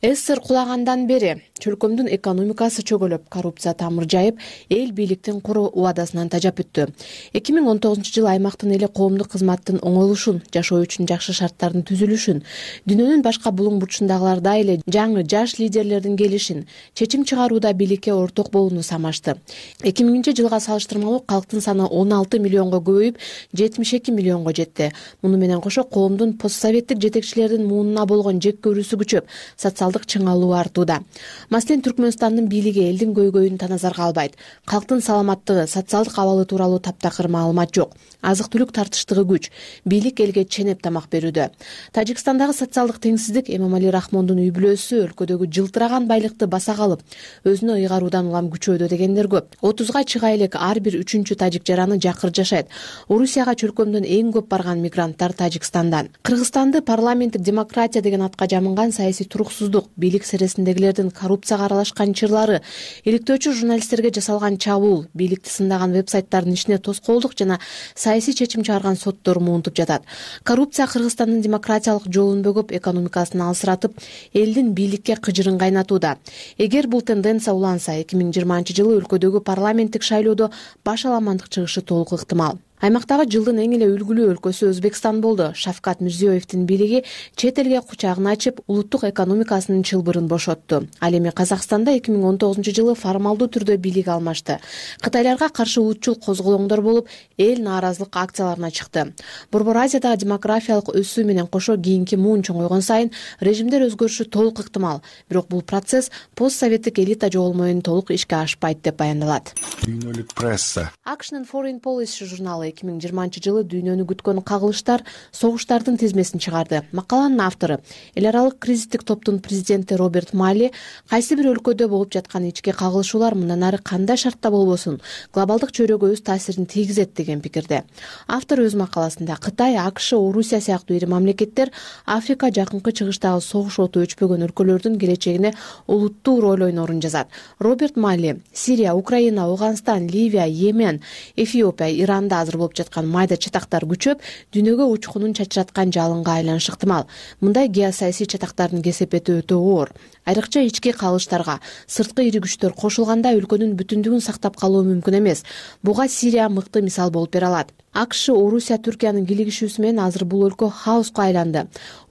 Speaker 24: СССР кулагандан бери чөлкөмдүн экономикасы чөгөлөп, коррупция тамыр жайып, эл бийликтин куру убадасынан тажап өттү. 2019-жылы аймактын эли коомдук кызматтын оңойлушун, жашоо үчүн жакшы шарттардын түзүлүшүн, дүйнөнүн башка булуң бурчундагылардай эле жаңы жаш лидерлердин келишин, чечим чыгарууда бийликке орток болууну самашты. 2000-жылга салыштырмалуу калктын саны 16 миллионго көбөйүп, 72 миллионго жетти. Муну менен кошо коомдун постсоветтик жетекчилердин муунуна болгон жек көрүүсү күчөп, социалдык чыңалуу артууда. Маселен, Түркмөнстандын бийлиги элдин көйгөйүн таназарга албайт. Калктын саламаттыгы, социалдык абалы тууралуу таптакыр маалымат жок. Азык-түлүк тартыштыгы күч. Бийлик элге ченеп тамак берүүдө. Тажикстандагы социалдык теңсиздик Эмомали Рахмондун үй бүлөсү өлкөдөгү жылтыраган байлыкты баса калып, өзүнө ыйгаруудан улам күчөөдө дегендер көп. 30га чыга элек ар бир 3-чү тажик жараны жакыр жашайт. Орусияга чөлкөмдөн эң көп барган мигранттар Тажикстандан. Кыргызстанды парламенттик демократия деген атка жамынган саясий туруксуздук, бийлик сересиндегилердин коррупцияга аралашкан чырлары, иликтөөчү журналисттерге жасалган чабуул, бийликти сындаган вебсайттардын ишине тоскоолдук жана саясий чечим чыгарган соттор муунтуп жатат. Коррупция Кыргызстандын демократиялык жолун бөгөп, экономикасын алсыратып, элдин бийликке кыжырын кайнатууда. Эгер бул тенденция уланса, 2020-жылы өлкөдөгү парламенттик шайлоодо баш аламандык чыгышы толук ыктымал. Аймактагы жылдын эң эле үлгүлүү өлкөсү Өзбекстан болду. Шавкат Мирзиёевдин бийлиги чет элге кучагын ачып, улуттук экономикасынын чылбырын бошотту. Ал эми Казакстанда 2019-жылы формалдуу түрдө бийлик алмашты. Кытайларга каршы улутчул козголоңдор болуп, эл нааразылык акцияларына чыкты. Борбор Азиядагы демографиялык өсүү менен кошо кийинки муун чоңойгон сайын режимдер өзгөрүшү толук ыктымал. Бирок бул процесс постсоветтик элита жоголуу менен толук ишке ашпайт деп баяндалат.
Speaker 12: Дүйнөлүк пресса.
Speaker 24: Акшнын Foreign Policy журналы 2020-жылы дүйнөнү күткөн кагылыштар, согуштардын тизмесин чыгарды. Макаланын автору, эл аралык кризистик топтун президенти Роберт Малли, кайсы бир өлкөдө болуп жаткан ички кагылышуулар мындан ары кандай шартта болбосун, глобалдык чөйрөгө өз таасирин тийгизет деген пикирде. Автор өз макаласында Кытай, АКШ, Орусия сыяктуу ири мамлекеттер Африка, Жакынкы Чыгыштагы согуш оту өчпөгөн өлкөлөрдүн келечегине олуттуу роль ойнорун жазат. Роберт Малли Сирия, Украина, Ауганстан, Ливия, Йемен, Эфиопия, Иранда азыр болуп жаткан майда чатактар күчөп, дүйнөгө учкунун чачыраткан жалынга айланышы ыктымал. Мындай геосаясий чатактардын кесепети өтө оор. Айрыкча ички кагылыштарга сырткы ири күчтөр кошулганда өлкөнүн бүтүндүгүн сактап калуу мүмкүн эмес. Буга Сирия мыкты мисал болуп бере алат. АКШ, Орусия, Түркиянын кийлигишүүсү менен азыр бул өлкө хаоска айланды.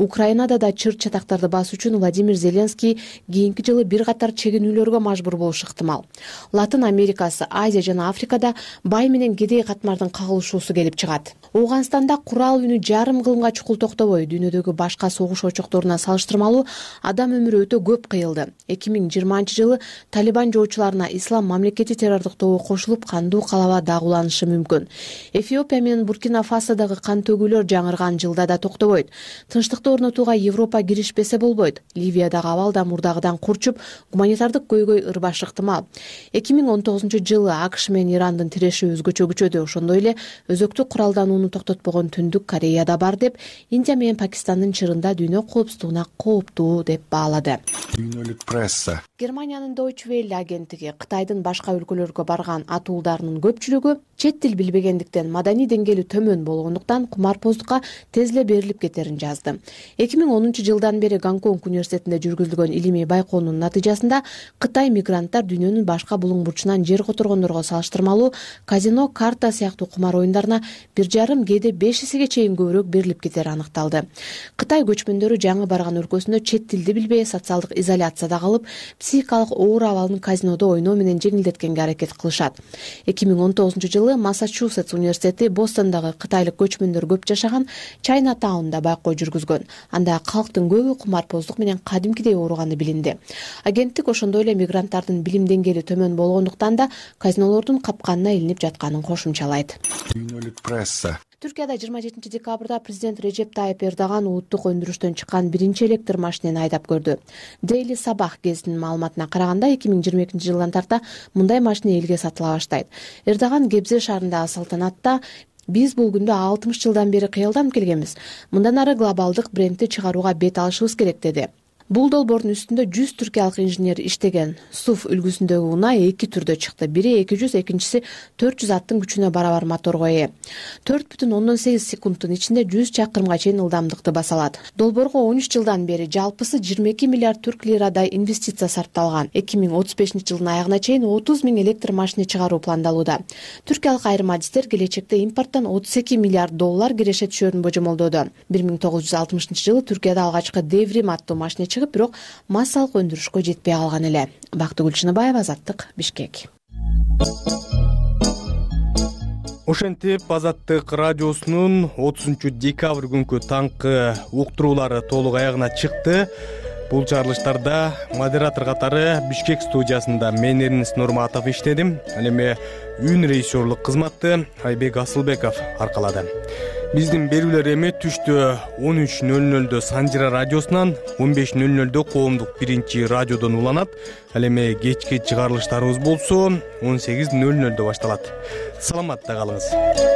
Speaker 24: Украинада да чыр чатактарды басуу үчүн Владимир Зеленский кийинки жылы бир катар чегинүүлөргө мажбур болушу ыктымал. Латын Америкасы, Азия жана Африкада бай менен кедей катмардын кагылышуусу келип чыгат. Ауганстанда курал үнү жарым кылымга чукул токтобой дүйнөдөгү башка согуш очокторуна салыштырмалуу адам өмүрү өтө көп кыйылды. 2020-жылы Талибан жоочуларына Ислам мамлекети террордук тобу кошулуп, кандуу калаба дагууланышы мүмкүн. Эфиопия менен Буркина Фасодагы кан төгүүлөр жаңырган жылда да токтобойт. Тынчтыкты орнотууга Европа киришпесе болбойт. Ливиядагы абал да мурдагыдан курчуп, гуманитардык көйгөй ырбашы ыктымал. 2019-жылы АКШ менен Ирандын тиреши өзгөчө күчөдү. Ошондой эле өзөктүк куралданууну токтотпогон Түндүк Кореяда бар деп, Индия менен Пакистандын чырында дүйнө коопсуздугуна кооптуу деп баалады.
Speaker 12: Дүйнөлүк пресса.
Speaker 24: Германиянын Deutsche Welle агенттиги Кытайдын башка өлкөлөргө барган атуулдарынын көпчүлүгү чет тил билбегендиктен, маданий деңгээли төмөн болгондуктан кумарпоздукка тез эле берилип кетерин жазды. 2010-жылдан бери Гонконг университетинде жүргүзүлгөн илимий байкоонун натыйжасында Кытай мигранттар дүйнөнүн башка булуң бурчунан жер которгондорго салыштырмалуу казино, карта сыяктуу кумар оюндарына 1,5 кээде 5 эсеге чейин көбүрөөк берилип кетери аныкталды. Кытай көчмөндөрү жаңы барган өлкөсүндө чет тилди билбей, социалдык изоляцияда калып, психикалык оор абалын казинодо ойноо менен жеңилдеткенге аракет кылышат. 2019-жылы Массачусетс университети Бостондагы кытайлык көчмөндөр көп жашаган Чайнатаунда байкоо жүргүзгөн. Анда калктын көбү кумарпоздук менен кадимкидей ооруганы билинди. Агенттик ошондой эле мигранттардын билим деңгээли төмөн болгондуктан да казинолордун капканына илинип жатканын кошумчалайт.
Speaker 12: Дүйнөлүк пресса.
Speaker 24: Түркияда 27 декабрда президент Режеп Тайып Эрдоган улуттук өндүрүштөн чыккан биринчи электр машинени айдап көрдү. Daily Sabah гезитинин маалыматына караганда 2022-жылдан тарта мындай машина элге сатыла баштайт. Эрдоган Гебзе шаарындагы салтанатта биз бул күндө 60 жылдан бери кыялданып келгенбиз. Мындан ары глобалдык брендти чыгарууга бет алышыбыз керек деди. Бул долбоордун үстүндө 100 түркиялык инженер иштеген. СУФ үлгүсүндөгү унаа эки түрдө чыкты. Бири 200, экинчиси 400 аттын күчүнө барабар моторго ээ. 4,8 секундтун ичинде 100 чакырымга чейин ылдамдыкты баса алат. Долбоорго 13 жылдан бери жалпысы 22 миллиард түрк лирадай инвестиция сарпталган. 2035-жылдын аягына чейин 30 000 электр машина чыгаруу пландалууда. Түркиялык айрым адистер келечекте импорттон 32 миллиард доллар киреше түшөрүн божомолдоду. 1960-жылы Түркияда алгачкы Devrim аттуу машина чыгып, бирок массалык өндүрүшкө жетпей калган эле. Бактыгүл Чыныбаева, Азаттык, Бишкек.
Speaker 1: Ошентип Азаттык радиосунун 30-декабрь күнкү таңкы уктуруулары толук аягына чыкты. Бул чыгарылыштарда модератор катары Бишкек студиясында мен Эрнис Нурматов иштедим. Ал эми үн режиссерлук кызматты Айбек Асылбеков аркалады. Биздин берүүлөр эми түштө 13:00 Санжира радиосунан, 15:00 коомдук биринчи радиодон уланат. Ал эми кечки чыгарылыштарыбыз болсо 18:00 башталат. Саламатта калыңыз.